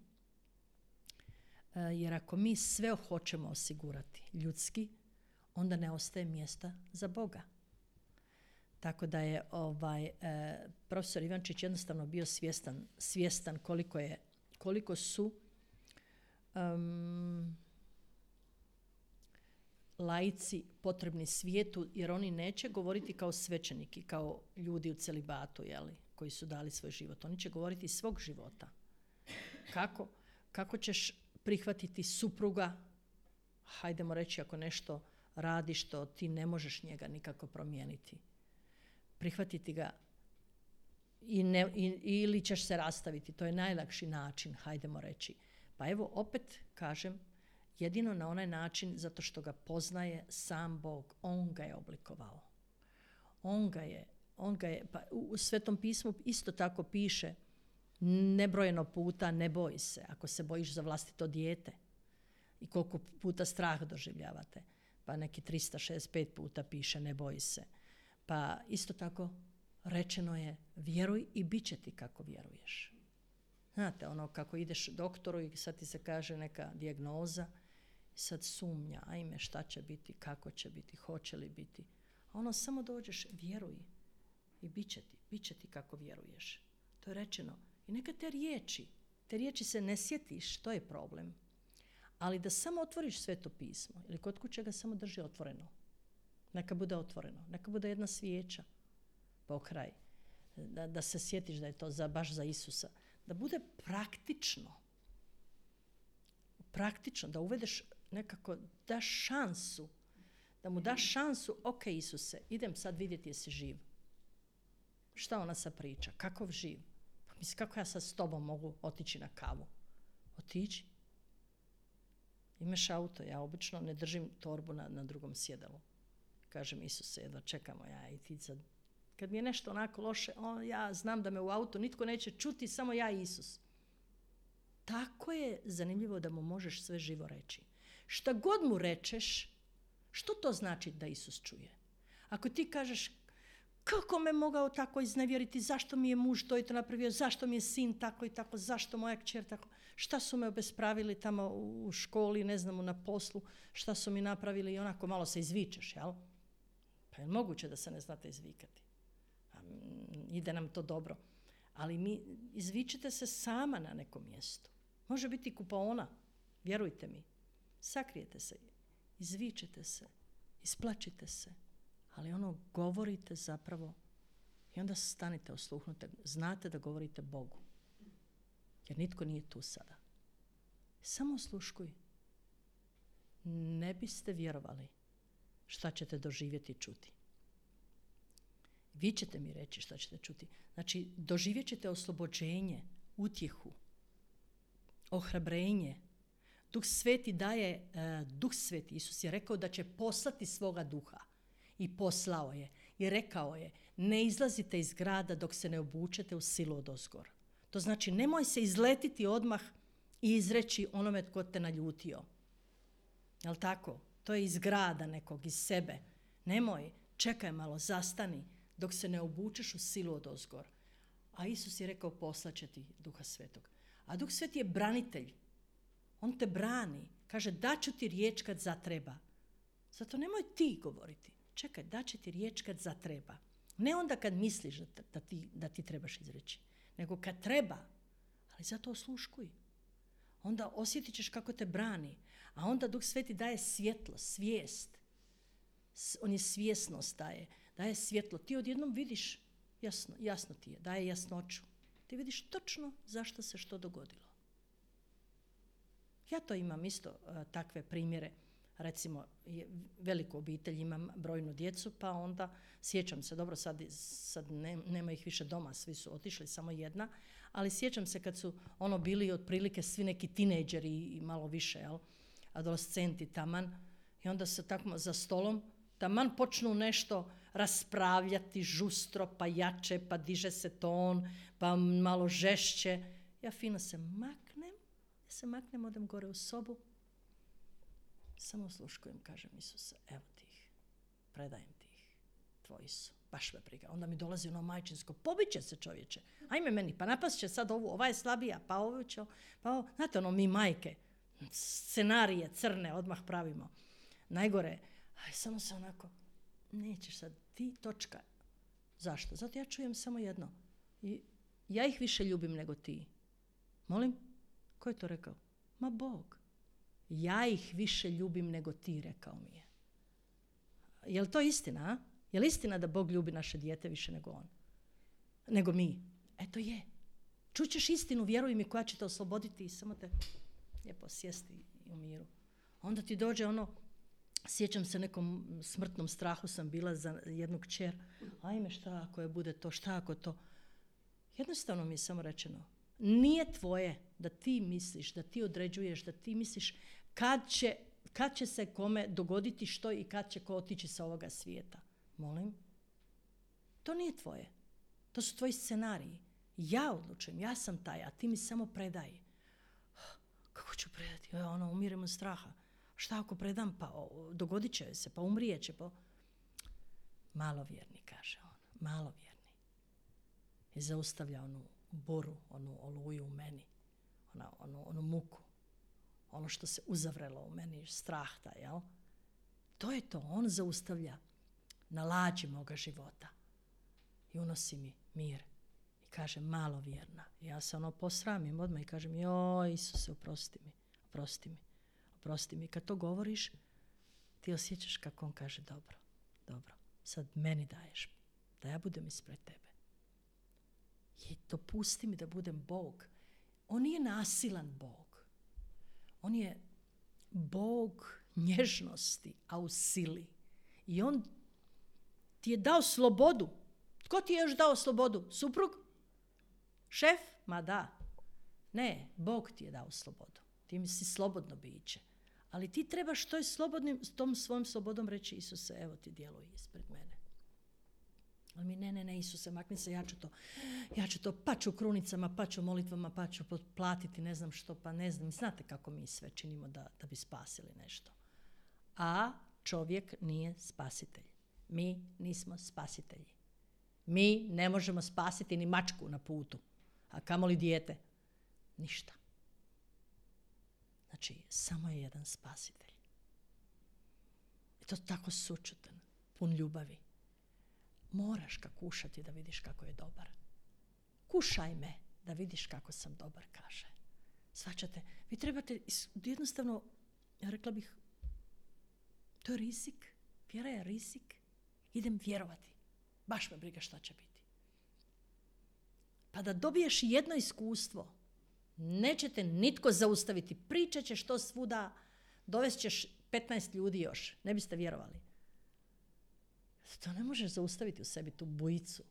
Jer ako mi sve hoćemo osigurati ljudski, onda ne ostaje mjesta za Boga. Tako da je profesor Ivančić jednostavno bio svjestan koliko su laici potrebni svijetu, jer oni neće govoriti kao svećeniki, kao ljudi u celibatu, koji su dali svoj život. Oni će govoriti iz svog života. Kako ćeš prihvatiti supruga, hajdemo reći ako nešto radi što ti ne možeš njega nikako promijeniti. Prihvatiti ga ili ćeš se rastaviti. To je najlakši način, hajdemo reći. Pa evo, opet kažem, jedino na onaj način zato što ga poznaje sam Bog. On ga je oblikovao. On ga je, pa u Svetom pismu isto tako piše nebrojeno puta ne boj se, ako se bojiš za vlastito dijete. I koliko puta strah doživljavate. Pa neki 365 puta piše ne boj se. Pa isto tako rečeno je vjeruj i bit će ti kako vjeruješ. Znate, ono kako ideš doktoru i sad ti se kaže neka dijagnoza i sad sumnja, ajme šta će biti, kako će biti, hoće li biti. A ono samo dođeš, vjeruj i bit će ti kako vjeruješ. To je rečeno. I neka te riječi se ne sjetiš, to je problem. Ali da samo otvoriš Sveto pismo ili kod kuće ga samo drži otvoreno. Neka bude otvoreno, neka bude jedna svijeća pokraj. Da se sjetiš da je to baš za Isusa. Da bude praktično, da uvedeš nekako, daš šansu, da mu daš šansu, ok Isuse, idem sad vidjeti jesi živ. Šta ona sad priča, kakov živ? Pa mislim, kako ja sad s tobom mogu otići na kavu? Otići. Imaš auto, ja obično ne držim torbu na drugom sjedalu. Kažem Isuse, jedva čekamo ja i ti sad. Kad mi je nešto onako loše, ja znam da me u autu nitko neće čuti, samo ja i Isus. Tako je zanimljivo da mu možeš sve živo reći. Šta god mu rečeš, što to znači da Isus čuje? Ako ti kažeš, kako me mogao tako iznevjeriti, zašto mi je muž to i to napravio, zašto mi je sin tako i tako, zašto moja kćer tako, šta su me obespravili tamo u školi, ne znamo, na poslu, šta su mi napravili i onako malo se izvičeš, jel? Pa je moguće da se ne znate izvikati. Ide nam to dobro. Ali izvičite se sama na nekom mjestu. Može biti kupaona, vjerujte mi. Sakrijete se, izvičete se, isplačite se. Ali ono govorite zapravo i onda stanite, osluhnute. Znate da govorite Bogu. Jer nitko nije tu sada. Samo osluškuj. Ne biste vjerovali šta ćete doživjeti i čuti. Vi ćete mi reći šta ćete čuti. Znači, doživjet ćete oslobođenje, utjehu, ohrabrenje. Duh Sveti daje, Duh Sveti, Isus je rekao da će poslati svoga duha. I poslao je. I rekao je, ne izlazite iz grada dok se ne obučete u silu odozgor. To znači, nemoj se izletiti odmah i izreći onome tko te naljutio. Jel' tako? To je iz grada nekog, iz sebe. Nemoj, čekaj malo, zastani dok se ne obučeš u silu odozgor. A Isus je rekao poslaće ti Duha Svetog. A Duh Sveti je branitelj. On te brani. Kaže daću ti riječ kad zatreba. Zato nemoj ti govoriti. Čekaj, daće ti riječ kad zatreba. Ne onda kad misliš da ti trebaš izreći. Nego kad treba. Ali zato osluškuj. Onda osjetit ćeš kako te brani. A onda Duh Sveti daje svjetlo, svijest. On je svjesnost daje svjetlo. Ti odjednom vidiš, jasno ti je, daje jasnoću. Ti vidiš točno zašto se što dogodilo. Ja to imam isto takve primjere. Recimo, veliku obitelj, imam brojnu djecu, pa onda sjećam se, dobro sad nema ih više doma, svi su otišli, samo jedna, ali sjećam se kad su bili otprilike svi neki tinejdžeri i malo više, adolescenti taman, i onda se tako za stolom taman počnu nešto raspravljati žustro, pa jače, pa diže se ton, pa malo žešće. Ja fino se maknem, odem gore u sobu, samo osluškujem, kažem Isuse, evo ti ih, predajem ti ih, tvoji su, baš me briga. Onda mi dolazi majčinsko, pobiće se čovječe, ajme meni, pa napast će sad ova je slabija, pa ovo će, pa ovo, znate mi majke, scenarije crne odmah pravimo. Najgore, samo se onako, nećeš sad, ti točka. Zašto? Zato ja čujem samo jedno. Ja ih više ljubim nego ti. Molim? Ko je to rekao? Ma Bog. Ja ih više ljubim nego ti, rekao mi je. Je li to istina, a? Je li istina da Bog ljubi naše dijete više nego on? Nego mi? Eto je. Čućeš istinu, vjeruj mi, koja će te osloboditi i samo te lijepo sjesti u miru. Onda ti dođe sjećam se nekom smrtnom strahu sam bila za jednu kćer. Ajme, šta ako je bude to, šta ako to? Jednostavno mi je samo rečeno, nije tvoje da ti misliš, da ti određuješ, da ti misliš kad će se kome dogoditi što i kad će ko otići sa ovoga svijeta. Molim? To nije tvoje. To su tvoji scenariji. Ja odlučujem, ja sam taj, a ti mi samo predaj. Kako ću predati? Umirem od straha. Šta ako predam? Pa dogodit će se, pa umrijet će. Pa... Malovjerni, kaže on. Malovjerni. I zaustavlja onu boru, onu oluju u meni. Onu muku. Ono što se uzavrelo u meni, strah taj, jel? To je to. On zaustavlja na lađi moga života. I unosi mi mir. I kaže, malovjerna. I ja se posramim odmah i kažem, joj, Isuse, oprosti mi. Kad to govoriš, ti osjećaš kako on kaže, dobro, sad meni daješ, da ja budem ispred tebe. I dopusti mi da budem Bog. On nije nasilan Bog. On je Bog nježnosti, a u sili. I on ti je dao slobodu. Tko ti je još dao slobodu? Suprug? Šef? Ma da. Ne, Bog ti je dao slobodu. Ti mi si slobodno biće. Ali ti trebaš tom svojom slobodom reći, Isuse, evo ti djeluj ispred mene. Ali mi, ne, Isuse, makni se, ja ću to, pa ću krunicama, pa ću molitvama, pa ću platiti, ne znam što, pa ne znam. Znate kako mi sve činimo da bi spasili nešto. A čovjek nije spasitelj. Mi nismo spasitelji. Mi ne možemo spasiti ni mačku na putu, a kamoli dijete. Ništa. Znači, samo je jedan spasitelj. I to tako sućutan, pun ljubavi. Moraš ga kušati da vidiš kako je dobar. Kušaj me da vidiš kako sam dobar, kaže. Shvaćate? Vi trebate jednostavno, ja rekla bih, to je rizik. Vjera je rizik. Idem vjerovati. Baš me briga šta će biti. Pa da dobiješ jedno iskustvo, neće te nitko zaustaviti. Pričat ćeš to svuda, dovest ćeš 15 ljudi još. Ne biste vjerovali. To ne možeš zaustaviti u sebi, tu bujicu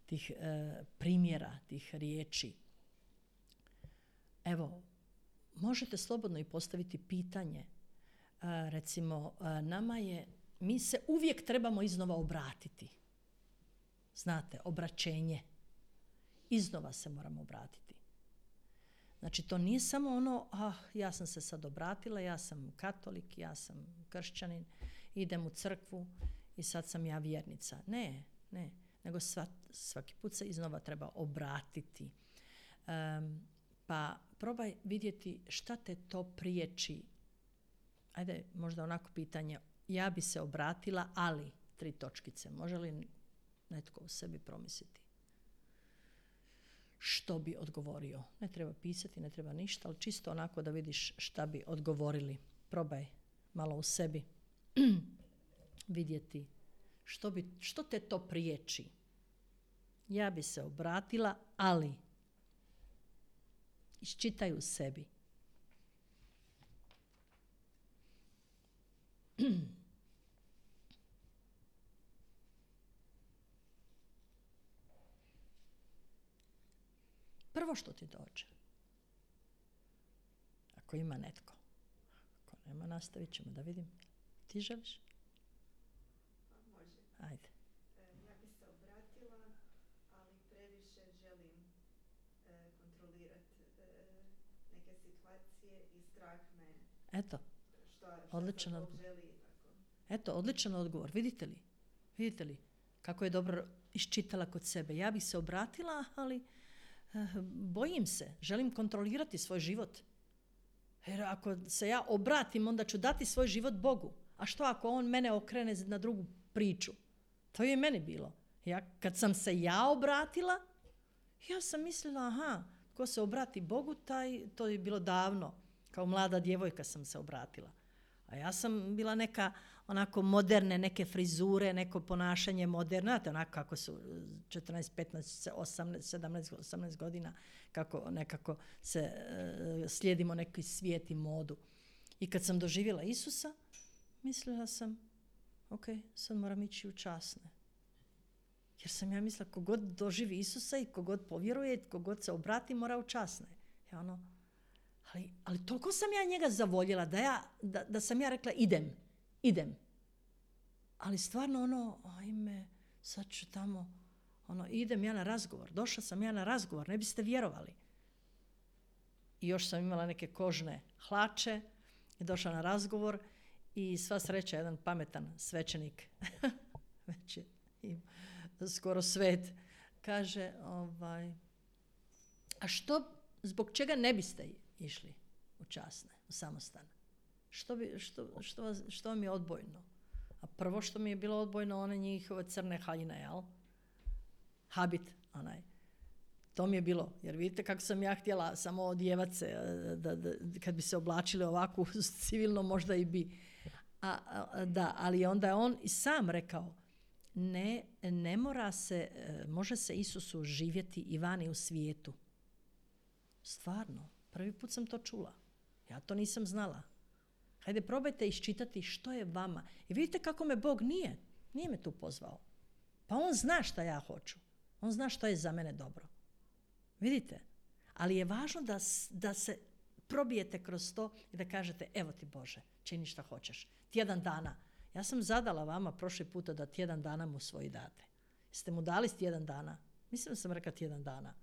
tih primjera, tih riječi. Evo, možete slobodno i postaviti pitanje. Recimo, mi se uvijek trebamo iznova obratiti. Znate, obraćenje. Iznova se moramo obratiti. Znači, to nije samo ono, ja sam se sad obratila, ja sam katolik, ja sam kršćanin, idem u crkvu i sad sam ja vjernica. Ne. Nego svaki put se iznova treba obratiti. Pa probaj vidjeti šta te to priječi. Ajde, možda onako pitanje, ja bi se obratila, ali 3 točkice. Može li netko u sebi promisliti? Što bi odgovorio? Ne treba pisati, ne treba ništa, ali čisto onako da vidiš šta bi odgovorili. Probaj malo u sebi vidjeti što te to priječi. Ja bi se obratila, ali iščitaj u sebi. Prvo što ti dođe. Ako ima netko. Ako nema, nastavit ćemo da vidim. Ti želiš? Može. Ajde. Ja bi se obratila, ali previše želim kontrolirati neke situacije i strah me. Eto, odličan odgovor. Želi i tako. Eto, odličan odgovor. Vidite li kako je dobro iščitala kod sebe. Ja bih se obratila, ali bojim se. Želim kontrolirati svoj život. Jer ako se ja obratim, onda ću dati svoj život Bogu. A što ako on mene okrene na drugu priču? To je meni bilo. Kad sam se ja obratila, ja sam mislila, ko se obrati Bogu, to je bilo davno. Kao mlada djevojka sam se obratila. A ja sam bila neka onako moderne, neke frizure, neko ponašanje moderno. Znate, onako kako su 14, 15, 17, 18 godina, kako nekako se slijedimo neki svijet i modu. I kad sam doživjela Isusa, mislila sam, ok, sad moram ići u časne. Jer sam ja mislila, kogod doživi Isusa i kogod povjeruje, kogod se obrati, mora u časne. Ali toliko sam ja njega zavoljela da sam ja rekla idem. Ali stvarno ajme, sad ću tamo, idem ja na razgovor. Došla sam ja na razgovor, ne biste vjerovali. I još sam imala neke kožne hlače i došla na razgovor i sva sreća jedan pametan svećenik, već je skoro svet, kaže, a zbog čega ne biste išli u časne, u samostan? Što vam je odbojno? A prvo što mi je bilo odbojno, one njihove crne haljine, jel? Habit, onaj. To mi je bilo, jer vidite kako sam ja htjela samo odjevat se, kad bi se oblačili ovako civilno, možda i bi. Ali onda je on i sam rekao, ne mora se, može se Isusu živjeti i vani u svijetu. Stvarno, prvi put sam to čula. Ja to nisam znala. Hajde, probajte iščitati što je vama. I vidite kako me Bog nije me tu pozvao. Pa on zna šta ja hoću. On zna što je za mene dobro. Vidite? Ali je važno da se probijete kroz to i da kažete, evo ti Bože, čini šta hoćeš. Tjedan dana. Ja sam zadala vama prošli puta da tjedan dana mu svoji date. Jeste mu dali tjedan dana? Mislim da sam rekla tjedan dana.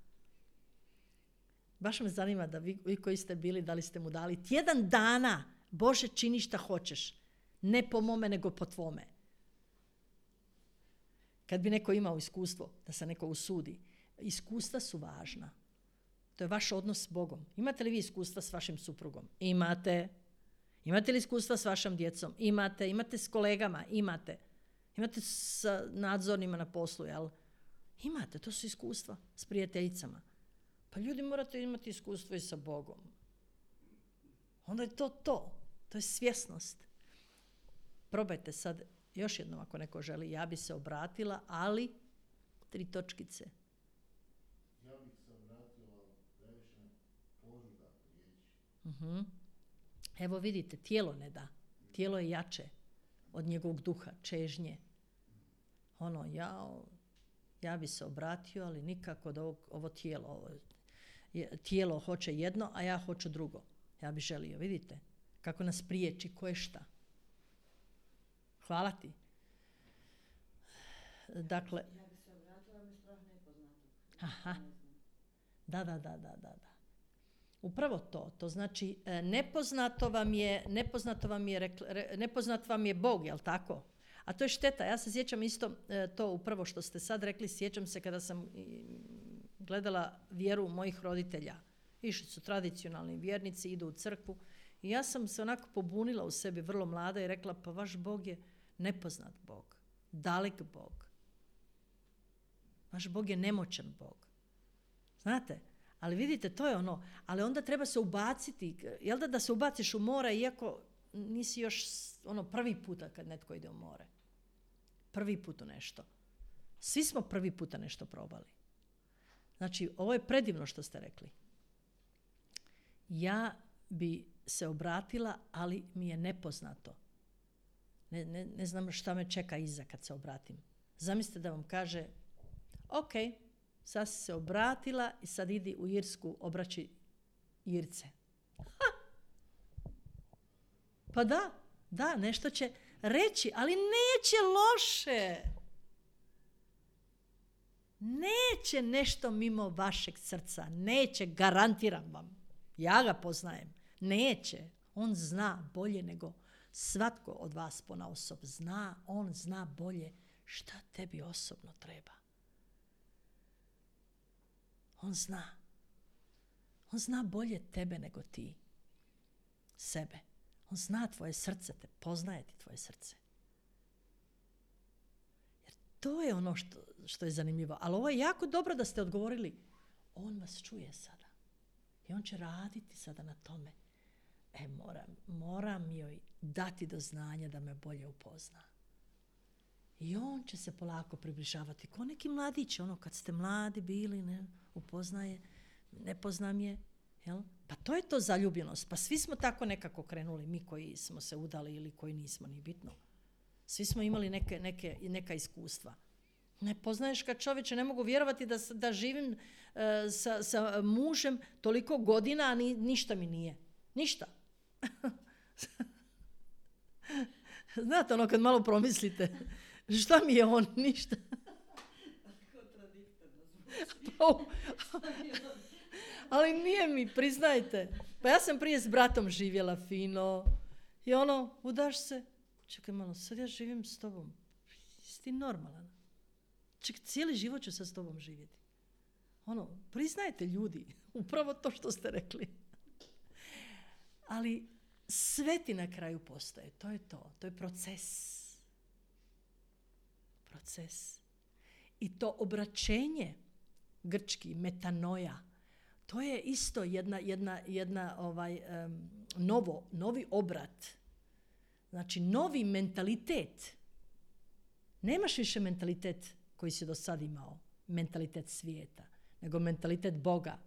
Baš me zanima da vi koji ste bili, da li ste mu dali tjedan dana. Bože, čini šta hoćeš. Ne po mome, nego po tvome. Kad bi neko imao iskustvo, da se neko usudi, iskustva su važna. To je vaš odnos s Bogom. Imate li vi iskustva s vašim suprugom? Imate. Imate li iskustva s vašom djecom? Imate. Imate s kolegama? Imate. Imate s nadzornima na poslu, jel? Imate, to su iskustva s prijateljicama. Pa ljudi, morate imati iskustvo i sa Bogom. Onda je to. To je svjesnost. Probajte sad još jednom ako neko želi. Ja bi se obratila, ali 3 točkice. Ja bih se obratila, previše požuda riječi. Evo vidite, tijelo ne da. Tijelo je jače od njegovog duha, čežnje. Ja bi se obratio, ali nikako od ovo tijelo. Tijelo hoće jedno, a ja hoću drugo. Ja bi želio, vidite, kako nas priječi, ko je šta. Hvala ti. Dakle, ja bi se obratila, mi strah nepoznatog. Aha. Da. Upravo to. To znači nepoznat vam je Bog, jel tako? A to je šteta. Ja se sjećam isto to upravo što ste sad rekli, sjećam se kada sam gledala vjeru mojih roditelja. Išli su tradicionalni vjernici, idu u crkvu. I ja sam se onako pobunila u sebi vrlo mlada i rekla, pa vaš Bog je nepoznat Bog, dalek Bog. Vaš Bog je nemoćan Bog. Znate? Ali vidite, to je ono. Ali onda treba se ubaciti. Jel da se ubaciš u more, iako nisi još prvi puta kad netko ide u more. Prvi put u nešto. Svi smo prvi puta nešto probali. Znači, ovo je predivno što ste rekli. Ja bi se obratila, ali mi je nepoznato. Ne znam šta me čeka iza kad se obratim. Zamislite da vam kaže, ok, sad si se obratila i sad idi u Irsku obraći Irce. Pa da, nešto će reći, ali neće loše. Neće nešto mimo vašeg srca. Neće, garantiram vam. Ja ga poznajem. Neće. On zna bolje nego svatko od vas ponaosob. On zna bolje šta tebi osobno treba. On zna. On zna bolje tebe nego ti. Sebe. On zna tvoje srce, poznaje ti tvoje srce. Jer to je ono što je zanimljivo. Ali ovo je jako dobro da ste odgovorili. On vas čuje sada. I on će raditi sada na tome. Moram joj dati do znanja da me bolje upozna. I on će se polako približavati. Ko neki mladić, kad ste mladi bili, ne upoznaje, ne poznam je. Jel? Pa to je to zaljubljenost. Pa svi smo tako nekako krenuli, mi koji smo se udali ili koji nismo, ni bitno. Svi smo imali neka iskustva. Ne poznaješ kad čovječe, ne mogu vjerovati da živim sa mužem toliko godina, a ništa mi nije. Ništa. Znate kad malo promislite, šta mi je on? Ništa. Ali nije mi, priznajte. Pa ja sam prije s bratom živjela fino. I udaš se. Čekaj malo, sad ja živim s tobom. Jesi ti normalan? Čekaj, cijeli život ću sad s tobom živjeti. Priznajte ljudi. Upravo to što ste rekli. Ali sve ti na kraju postoje. To je to. To je proces. Proces. I to obraćenje, grčki, metanoja, to je isto novi obrat. Znači, novi mentalitet. Nemaš više mentalitet koji si do sad imao, mentalitet svijeta, nego mentalitet Boga.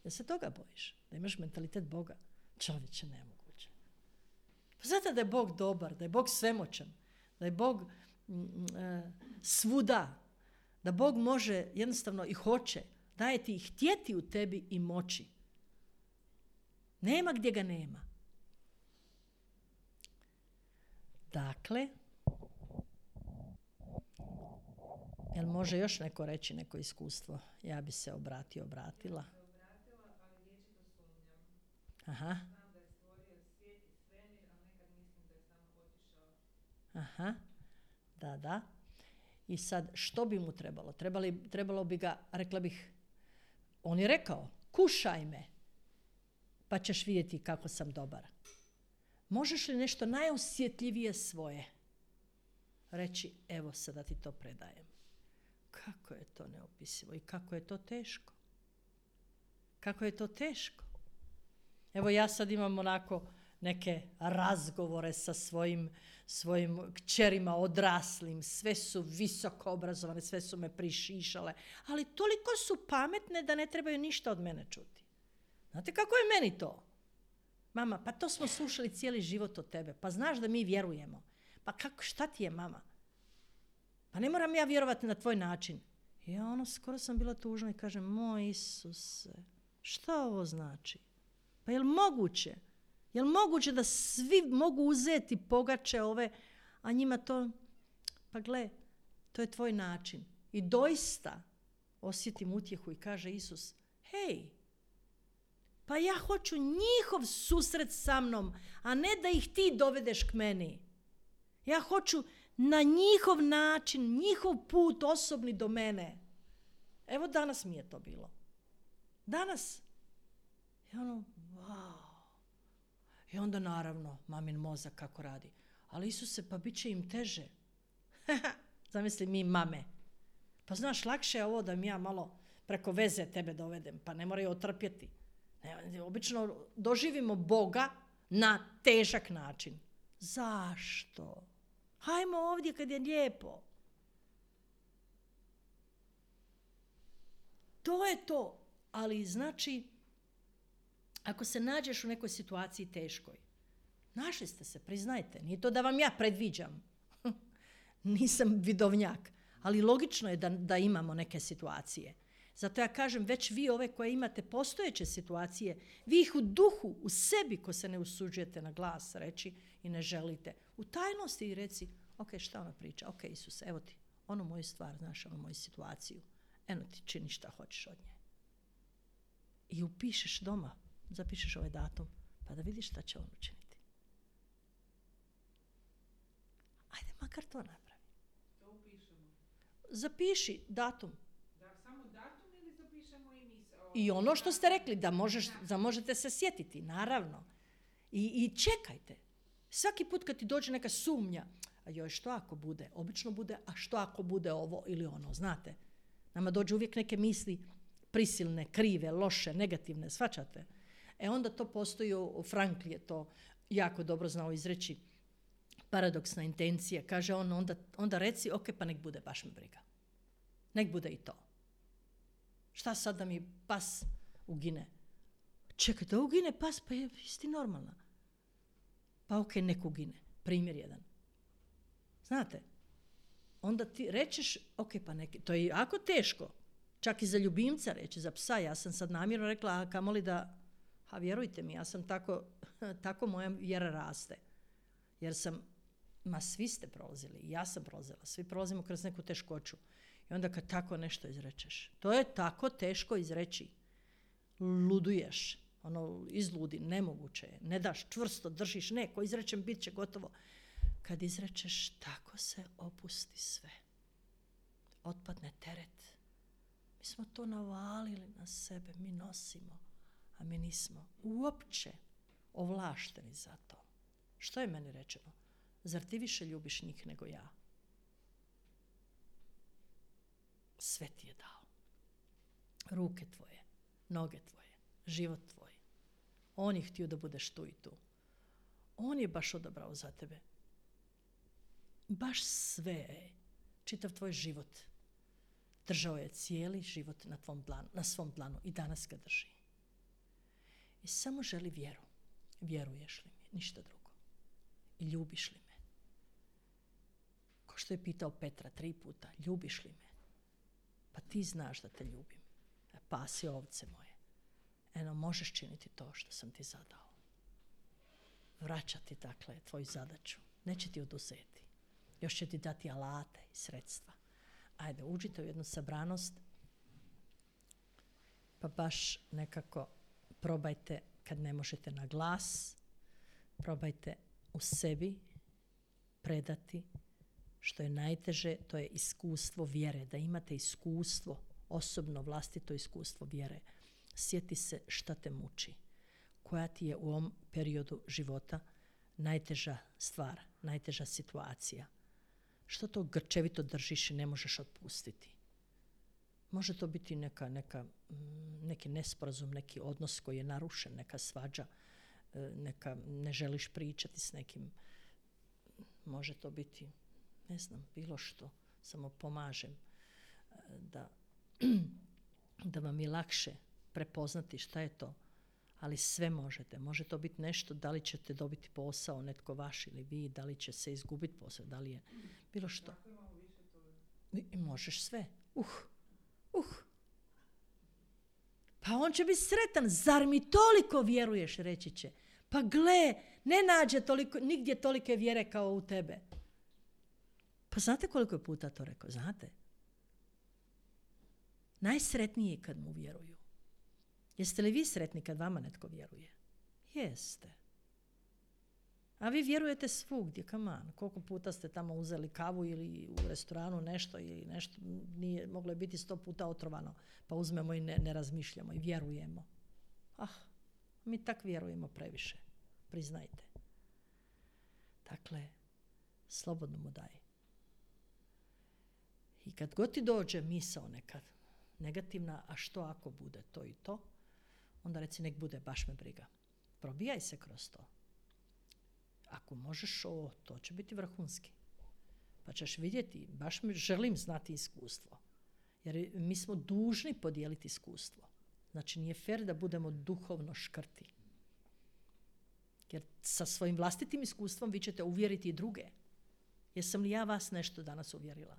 Da se toga bojiš? Da imaš mentalitet Boga? Čovječe, nemoguće. Pa znate da je Bog dobar, da je Bog svemoćan, da je Bog svuda, da Bog može jednostavno i hoće, daje ti i htjeti u tebi i moći. Nema gdje ga nema. Dakle, jel može još neko reći neko iskustvo? Ja bi se obratila. Ja se obratila, ali vječito sumnjam. Aha. Znam da je stvorio svijet i svemir, ali nekad mislim da je samo otišao. Aha. Da. I sad, što bi mu trebalo? Trebalo bi ga, rekla bih, on je rekao, kušaj me, pa ćeš vidjeti kako sam dobar. Možeš li nešto najosjetljivije svoje reći, evo sada ti to predajem. Kako je to neopisivo i kako je to teško. Kako je to teško. Evo ja sad imam onako neke razgovore sa svojim kćerima odraslim, sve su visoko obrazovane, sve su me prišišale, ali toliko su pametne da ne trebaju ništa od mene čuti. Znate kako je meni to? Mama, pa to smo slušali cijeli život od tebe, pa znaš da mi vjerujemo. Pa šta ti je, mama? Pa ne moram ja vjerovati na tvoj način. Ja skoro sam bila tužna i kažem, moj Isuse, šta ovo znači? Pa je li moguće? Je li moguće da svi mogu uzeti pogače ove, a njima to, pa gle, to je tvoj način. I doista osjetim utjehu i kaže Isus, hej, Pa ja hoću njihov susret sa mnom, a ne da ih ti dovedeš k meni. Ja hoću na njihov način, njihov put osobni do mene. Evo danas mi je to bilo. Danas. I ono, wow. I onda naravno, mamin mozak kako radi. Ali Isuse, pa bit će im teže. Zamisli mi mame. Pa znaš, lakše je ovo da mi ja malo preko veze tebe dovedem, pa ne moraju otrpjeti. Obično doživimo Boga na težak način. Zašto? Hajmo ovdje kad je lijepo. To je to. Ali znači, ako se nađeš u nekoj situaciji teškoj, našli ste se, priznajte. Nije to da vam ja predviđam. Nisam vidovnjak. Ali logično je da imamo neke situacije. Zato ja kažem, već vi ove koje imate postojeće situacije, vi ih u duhu, u sebi, ko se ne usuđujete na glas reći i ne želite, u tajnosti i reci, ok, šta ona priča? Ok, Isuse, evo ti, onu moju stvar, znaš, onu moju situaciju. Eno ti, čini šta hoćeš od nje. I upišeš doma, zapišeš ovaj datum, pa da vidiš šta će on učiniti. Ajde, makar to napravi. To upišemo. Zapiši datum. Da, samo datum ili zapišemo i misao? I ono što ste rekli, da možete se sjetiti, naravno. I čekajte. Svaki put kad ti dođe neka sumnja, a joj, što ako bude? Obično bude, a što ako bude ovo ili ono, znate? Nama dođu uvijek neke misli prisilne, krive, loše, negativne, shvaćate? Onda to postoji, Frankl je to jako dobro znao izreći, paradoksna intencija. Kaže on, onda reci, ok, pa nek bude, baš me briga. Nek bude i to. Šta sad da mi pas ugine? Čekaj, da ugine pas, pa je isti normalna. Pa ok, nek ugine. Primjer jedan. Znate, onda ti rečeš, ok, pa neki, to je jako teško. Čak i za ljubimca reći, za psa. Ja sam sad namjerno rekla, a kamoli da, a vjerujte mi, ja sam tako moja vjera raste. Jer svi ste prolazili, ja sam prolazila, svi prolazimo kroz neku teškoću. I onda kad tako nešto izrečeš, to je tako teško izreći. Luduješ, izludi, nemoguće je, ne daš, čvrsto držiš, ko izrečem, bit će gotovo. Kad izrečeš, tako se opusti sve. Otpadne teret. Mi smo to navalili na sebe, mi nosimo, a mi nismo uopće ovlašteni za to. Što je meni rečeno? Zar ti više ljubiš njih nego ja? Sve ti je dao. Ruke tvoje, noge tvoje, život tvoj. On je htio da budeš tu i tu. On je baš odabrao za tebe. Baš sve, čitav tvoj život. Držao je cijeli život na svom planu i danas ga drži. I samo želi vjeru. Vjeruješ li mi? Ništa drugo. I ljubiš li me? Ko što je pitao Petra 3 puta, ljubiš li me? Pa ti znaš da te ljubim. Pasi ovce moje. Možeš činiti to što sam ti zadao. Vraćati, dakle, tvoju zadaću. Neće ti oduzeti. Još će ti dati alate i sredstva. Ajde, uđite u jednu sabranost, pa baš nekako probajte, kad ne možete na glas, probajte u sebi predati što je najteže, to je iskustvo vjere, da imate iskustvo, osobno vlastito iskustvo vjere. Sjeti se šta te muči, koja ti je u ovom periodu života najteža stvar, najteža situacija. Što to grčevito držiš i ne možeš otpustiti? Može to biti neki nesporazum, neki odnos koji je narušen, neka svađa, neka ne želiš pričati s nekim. Može to biti, ne znam, bilo što. Samo pomažem da vam je lakše prepoznati šta je to. Ali sve možete. Može to biti nešto, da li ćete dobiti posao, netko vaš ili vi, da li će se izgubiti posao, da li je bilo što. I možeš sve. Pa on će biti sretan. Zar mi toliko vjeruješ, reći će. Pa gle, ne nađe nigdje tolike vjere kao u tebe. Pa znate koliko je puta to rekao? Znate? Najsretniji je kad mu vjeruju. Jeste li vi sretni kad vama netko vjeruje? Jeste. A vi vjerujete svugdje, come on. Koliko puta ste tamo uzeli kavu ili u restoranu nešto ili nešto, nije, moglo je biti 100 puta otrovano, pa uzmemo i ne razmišljamo i vjerujemo. Mi tak vjerujemo previše, priznajte. Dakle, slobodno mu daj. I kad god ti dođe misao nekad negativna, a što ako bude to i to, onda reci nek bude, baš me briga. Probijaj se kroz to. Ako možeš to će biti vrhunski. Pa ćeš vidjeti, baš želim znati iskustvo. Jer mi smo dužni podijeliti iskustvo. Znači nije fer da budemo duhovno škrti. Jer sa svojim vlastitim iskustvom vi ćete uvjeriti i druge. Jesam li ja vas nešto danas uvjerila?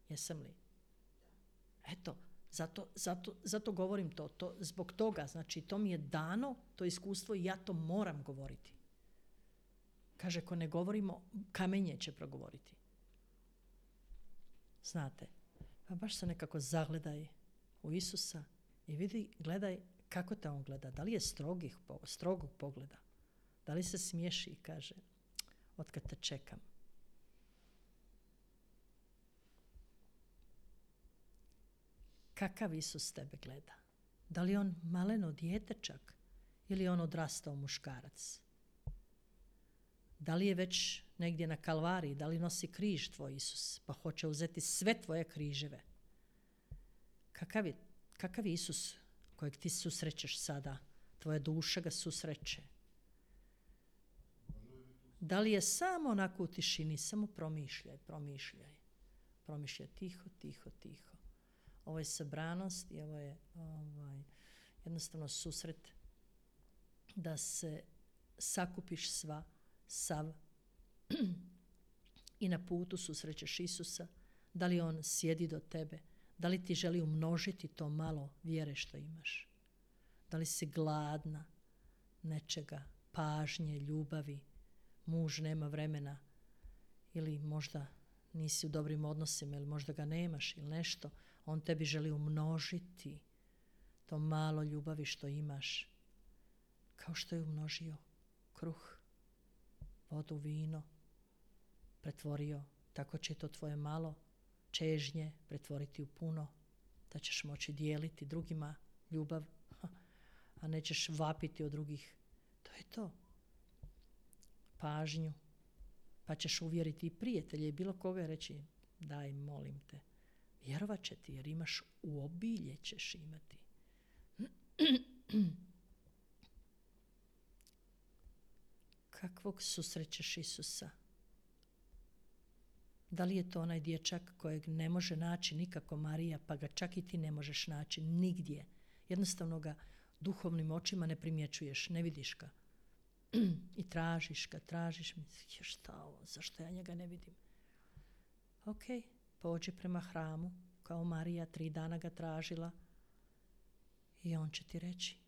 Jesam li? Eto, zato govorim to. Zbog toga, znači to mi je dano, to iskustvo i ja to moram govoriti. Kaže, ako ne govorimo, kamenje će progovoriti. Znate, pa baš se nekako zagledaj u Isusa i vidi, gledaj kako te on gleda. Da li je strogog pogleda? Da li se smiješi i kaže, otkad te čekam? Kakav Isus tebe gleda? Da li on maleno dijete čak? Ili je on odrastao muškarac? Da li je već negdje na Kalvariji? Da li nosi križ tvoj Isus? Pa hoće uzeti sve tvoje križeve. Kakav je Isus kojeg ti susrećeš sada? Tvoja duša ga susreće. Da li je samo onako u tišini? Samo promišljaj. Promišljaj tiho. Ovo je sabranost i ovo je jednostavno susret da se sakupiš sav i na putu susrećeš Isusa. Da li on sjedi do tebe? Da li ti želi umnožiti to malo vjere što imaš? Da li si gladna nečega, pažnje, ljubavi? Muž nema vremena ili možda nisi u dobrim odnosima ili možda ga nemaš ili nešto. On tebi želi umnožiti to malo ljubavi što imaš, kao što je umnožio kruh, vodu, vino, pretvorio. Tako će to tvoje malo čežnje pretvoriti u puno, da ćeš moći dijeliti drugima ljubav, a nećeš vapiti od drugih. To je to. Pažnju. Pa ćeš uvjeriti i prijatelje i bilo koga i reći, daj, molim te. Vjerovat će ti jer imaš u obilje ćeš imati. Kakvog susrećeš Isusa? Da li je to onaj dječak kojeg ne može naći nikako Marija, pa ga čak i ti ne možeš naći nigdje? Jednostavno ga duhovnim očima ne primjećuješ, ne vidiš ga. I tražiš ga, šta ovo, zašto ja njega ne vidim? Ok, pođi prema hramu, kao Marija, 3 dana ga tražila i on će ti reći,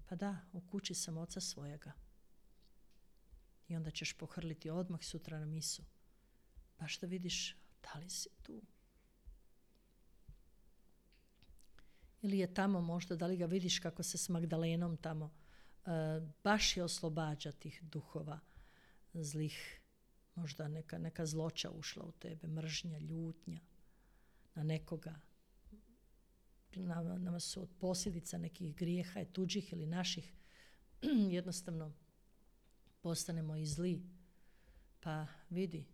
pa da, u kući sam oca svojega. I onda ćeš pohrliti odmah sutra na misu, baš da vidiš da li si tu. Ili je tamo možda, da li ga vidiš kako se s Magdalenom tamo baš je oslobađa tih duhova zlih, možda neka zloća ušla u tebe, mržnja, ljutnja na nekoga. Nama su od posljedica nekih grijeha, tuđih ili naših, jednostavno postanemo i zli. Pa vidi,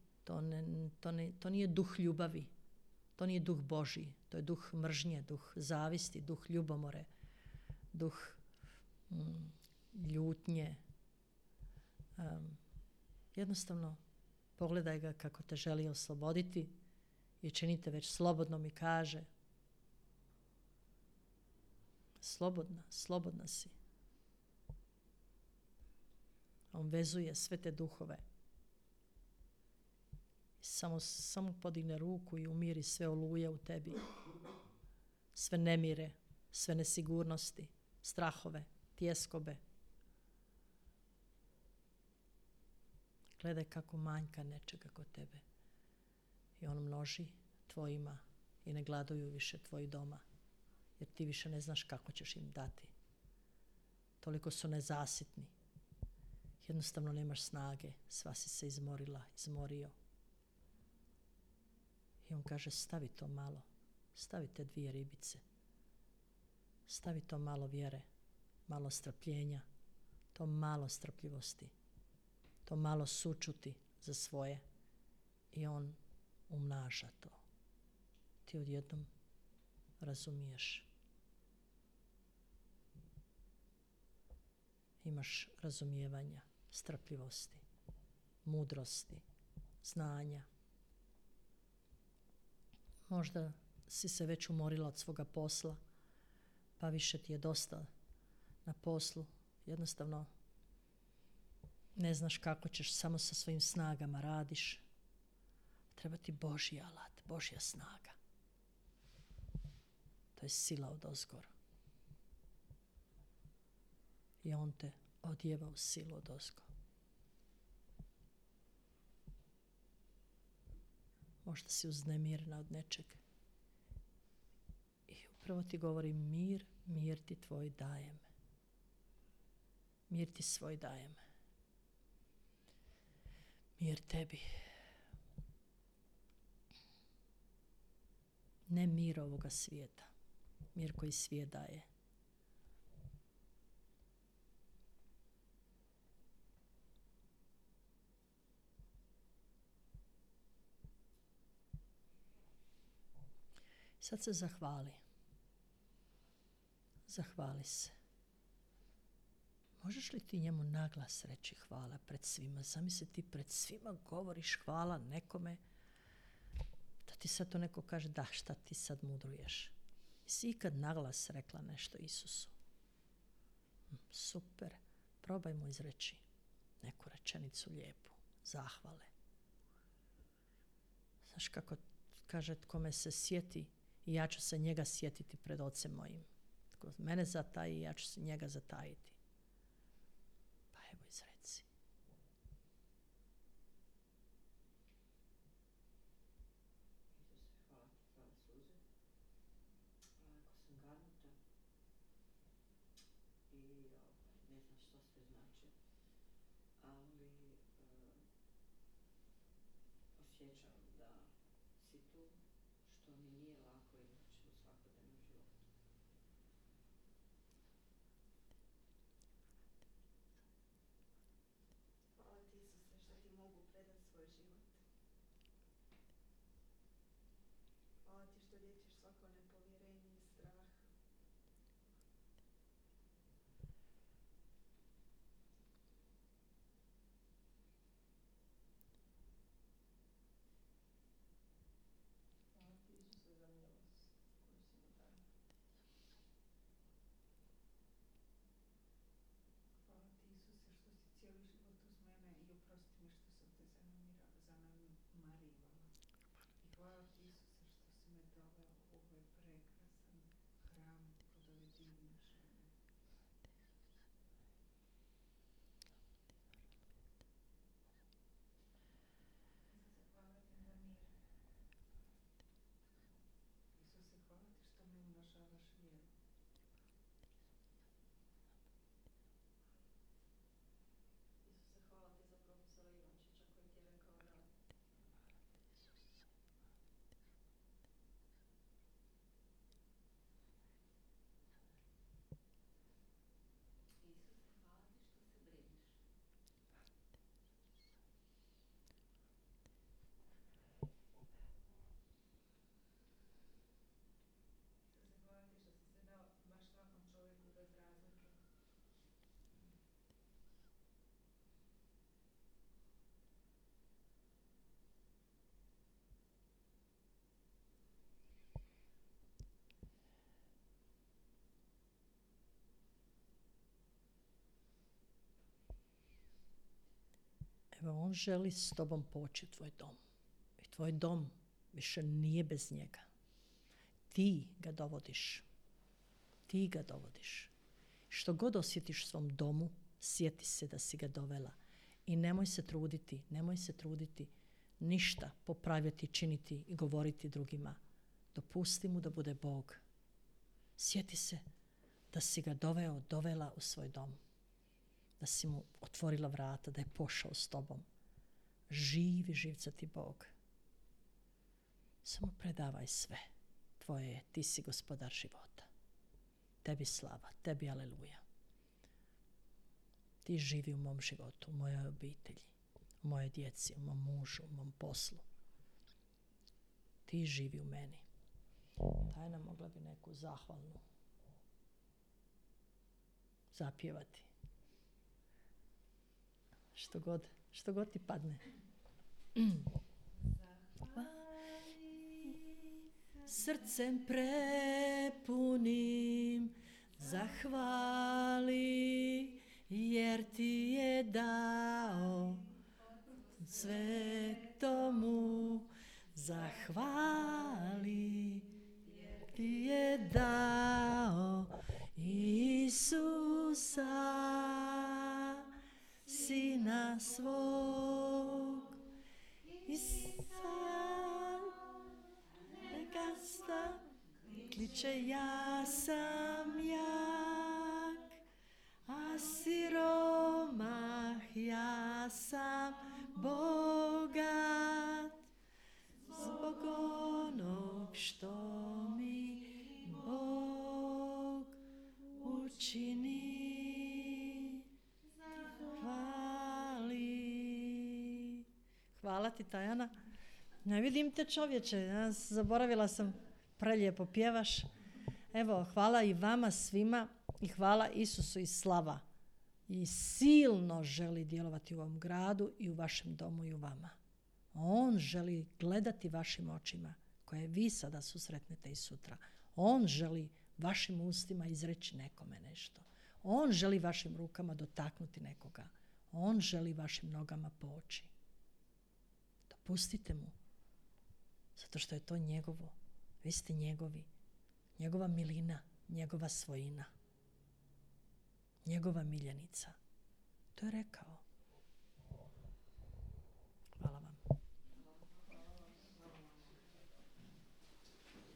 to nije duh ljubavi, to nije duh Božji, to je duh mržnje, duh zavisti, duh ljubomore, duh ljutnje. Jednostavno pogledaj ga kako te želi osloboditi i činite već slobodno mi kaže. Slobodna si. On vezuje sve te duhove. Samo podigne ruku i umiri sve oluje u tebi. Sve nemire, sve nesigurnosti, strahove, tjeskobe. Gledaj kako manjka nečega kod tebe. I on množi tvojima i ne gladuju više tvoji doma. jer ti više ne znaš kako ćeš im dati. Toliko su nezasitni. Jednostavno nemaš snage, sva si se izmorila, izmorio. I on kaže, stavi to malo, stavi te 2 ribice, stavi to malo vjere, malo strpljenja, to malo strpljivosti, to malo sućuti za svoje. I on umnaža to. Ti odjednom razumiješ. Imaš razumijevanja, strpljivosti, mudrosti, znanja. Možda si se već umorila od svoga posla, pa više ti je dosta na poslu. Jednostavno ne znaš kako ćeš, samo sa svojim snagama radiš. Treba ti Božji alat, Božja snaga. To je sila odozgor. I on te odjeva u silu odozgo. Možda si uznemirena od nečeg. I upravo ti govori mir, mir ti tvoj dajem. Mir ti svoj dajem. Mir tebi. Ne mir ovoga svijeta. Mir koji svijet daje. Sad se zahvali. Zahvali se. Možeš li ti njemu naglas reći hvala pred svima? Zamisli ti pred svima govoriš hvala nekome, da ti sad to neko kaže, da, šta ti sad mudruješ? Jesi ikad naglas rekla nešto Isusu? Super. Probajmo izreći neku rečenicu lijepu, zahvale. Znaš kako kaže, tko me se sjeti, i ja ću se njega sjetiti pred Ocem mojim. Tko mene zataji, ja ću se njega zatajiti. Pa evo izreci. Osjećam da si tu, što mi nije lako inače u svakodnevnom životu. Hvala ti Isuse što ti mogu predati svoj život. Hvala ti što liječiš svako nepovjerenje i strah. Hvala ti Isuse za milost koju si mi dao. Hvala ti Isuse što si cijeli život uz mene i oprosti mi što sam te zanemarivala. I hvala ti Isuse što si me doveo u ovaj prekrasan hram kod ove divne žene. Isuse, hvala ti za mir. Isuse, hvala ti što mi umnožavaš vjeru. Isuse, hvala ti za profesora Ivančića koji ti je rekao da Isuse, hvala ti što se brineš. Isuse, hvala ti što si se dao baš svakom čovjeku bez razlike. Evo, on želi s tobom poći u tvoj dom. I tvoj dom više nije bez njega. Ti ga dovodiš. Ti ga dovodiš. Što god osjetiš u svom domu, sjeti se da si ga dovela. I nemoj se truditi ništa popravljati, činiti i govoriti drugima. Dopusti mu da bude Bog. Sjeti se da si ga dovela u svoj dom. Da si mu otvorila vrata, da je pošao s tobom. Živi živcati Bog. Samo predavaj sve. Tvoje je, ti si gospodar života. Tebi slava, tebi aleluja. Ti živi u mom životu, u mojoj obitelji, u mojoj djeci, u mom mužu, u mom poslu. Ti živi u meni. Tajna, mogla bi neku zahvalnu zapjevati. Što god ti padne. Srcem prepunim zahvali, jer ti je dao svetomu. Zahvali, jer ti je dao Isusa, Sina svog. Gasta kliče, ja sam jak, a siromah, ja sam bogat, zbog onog što mi Bog učini. Hvala ti, Tajana. Ne vidim te, čovječe, ja zaboravila sam, prelijepo pjevaš. Evo, hvala i vama svima i hvala Isusu i slava. I silno želi djelovati u ovom gradu i u vašem domu i u vama. On želi gledati vašim očima koje vi sada susretnete i sutra. On želi vašim ustima izreći nekome nešto. On želi vašim rukama dotaknuti nekoga. On želi vašim nogama poći. Dopustite mu. Zato što je to njegovo. Vi ste njegovi. Njegova milina, njegova svojina. Njegova miljenica. To je rekao.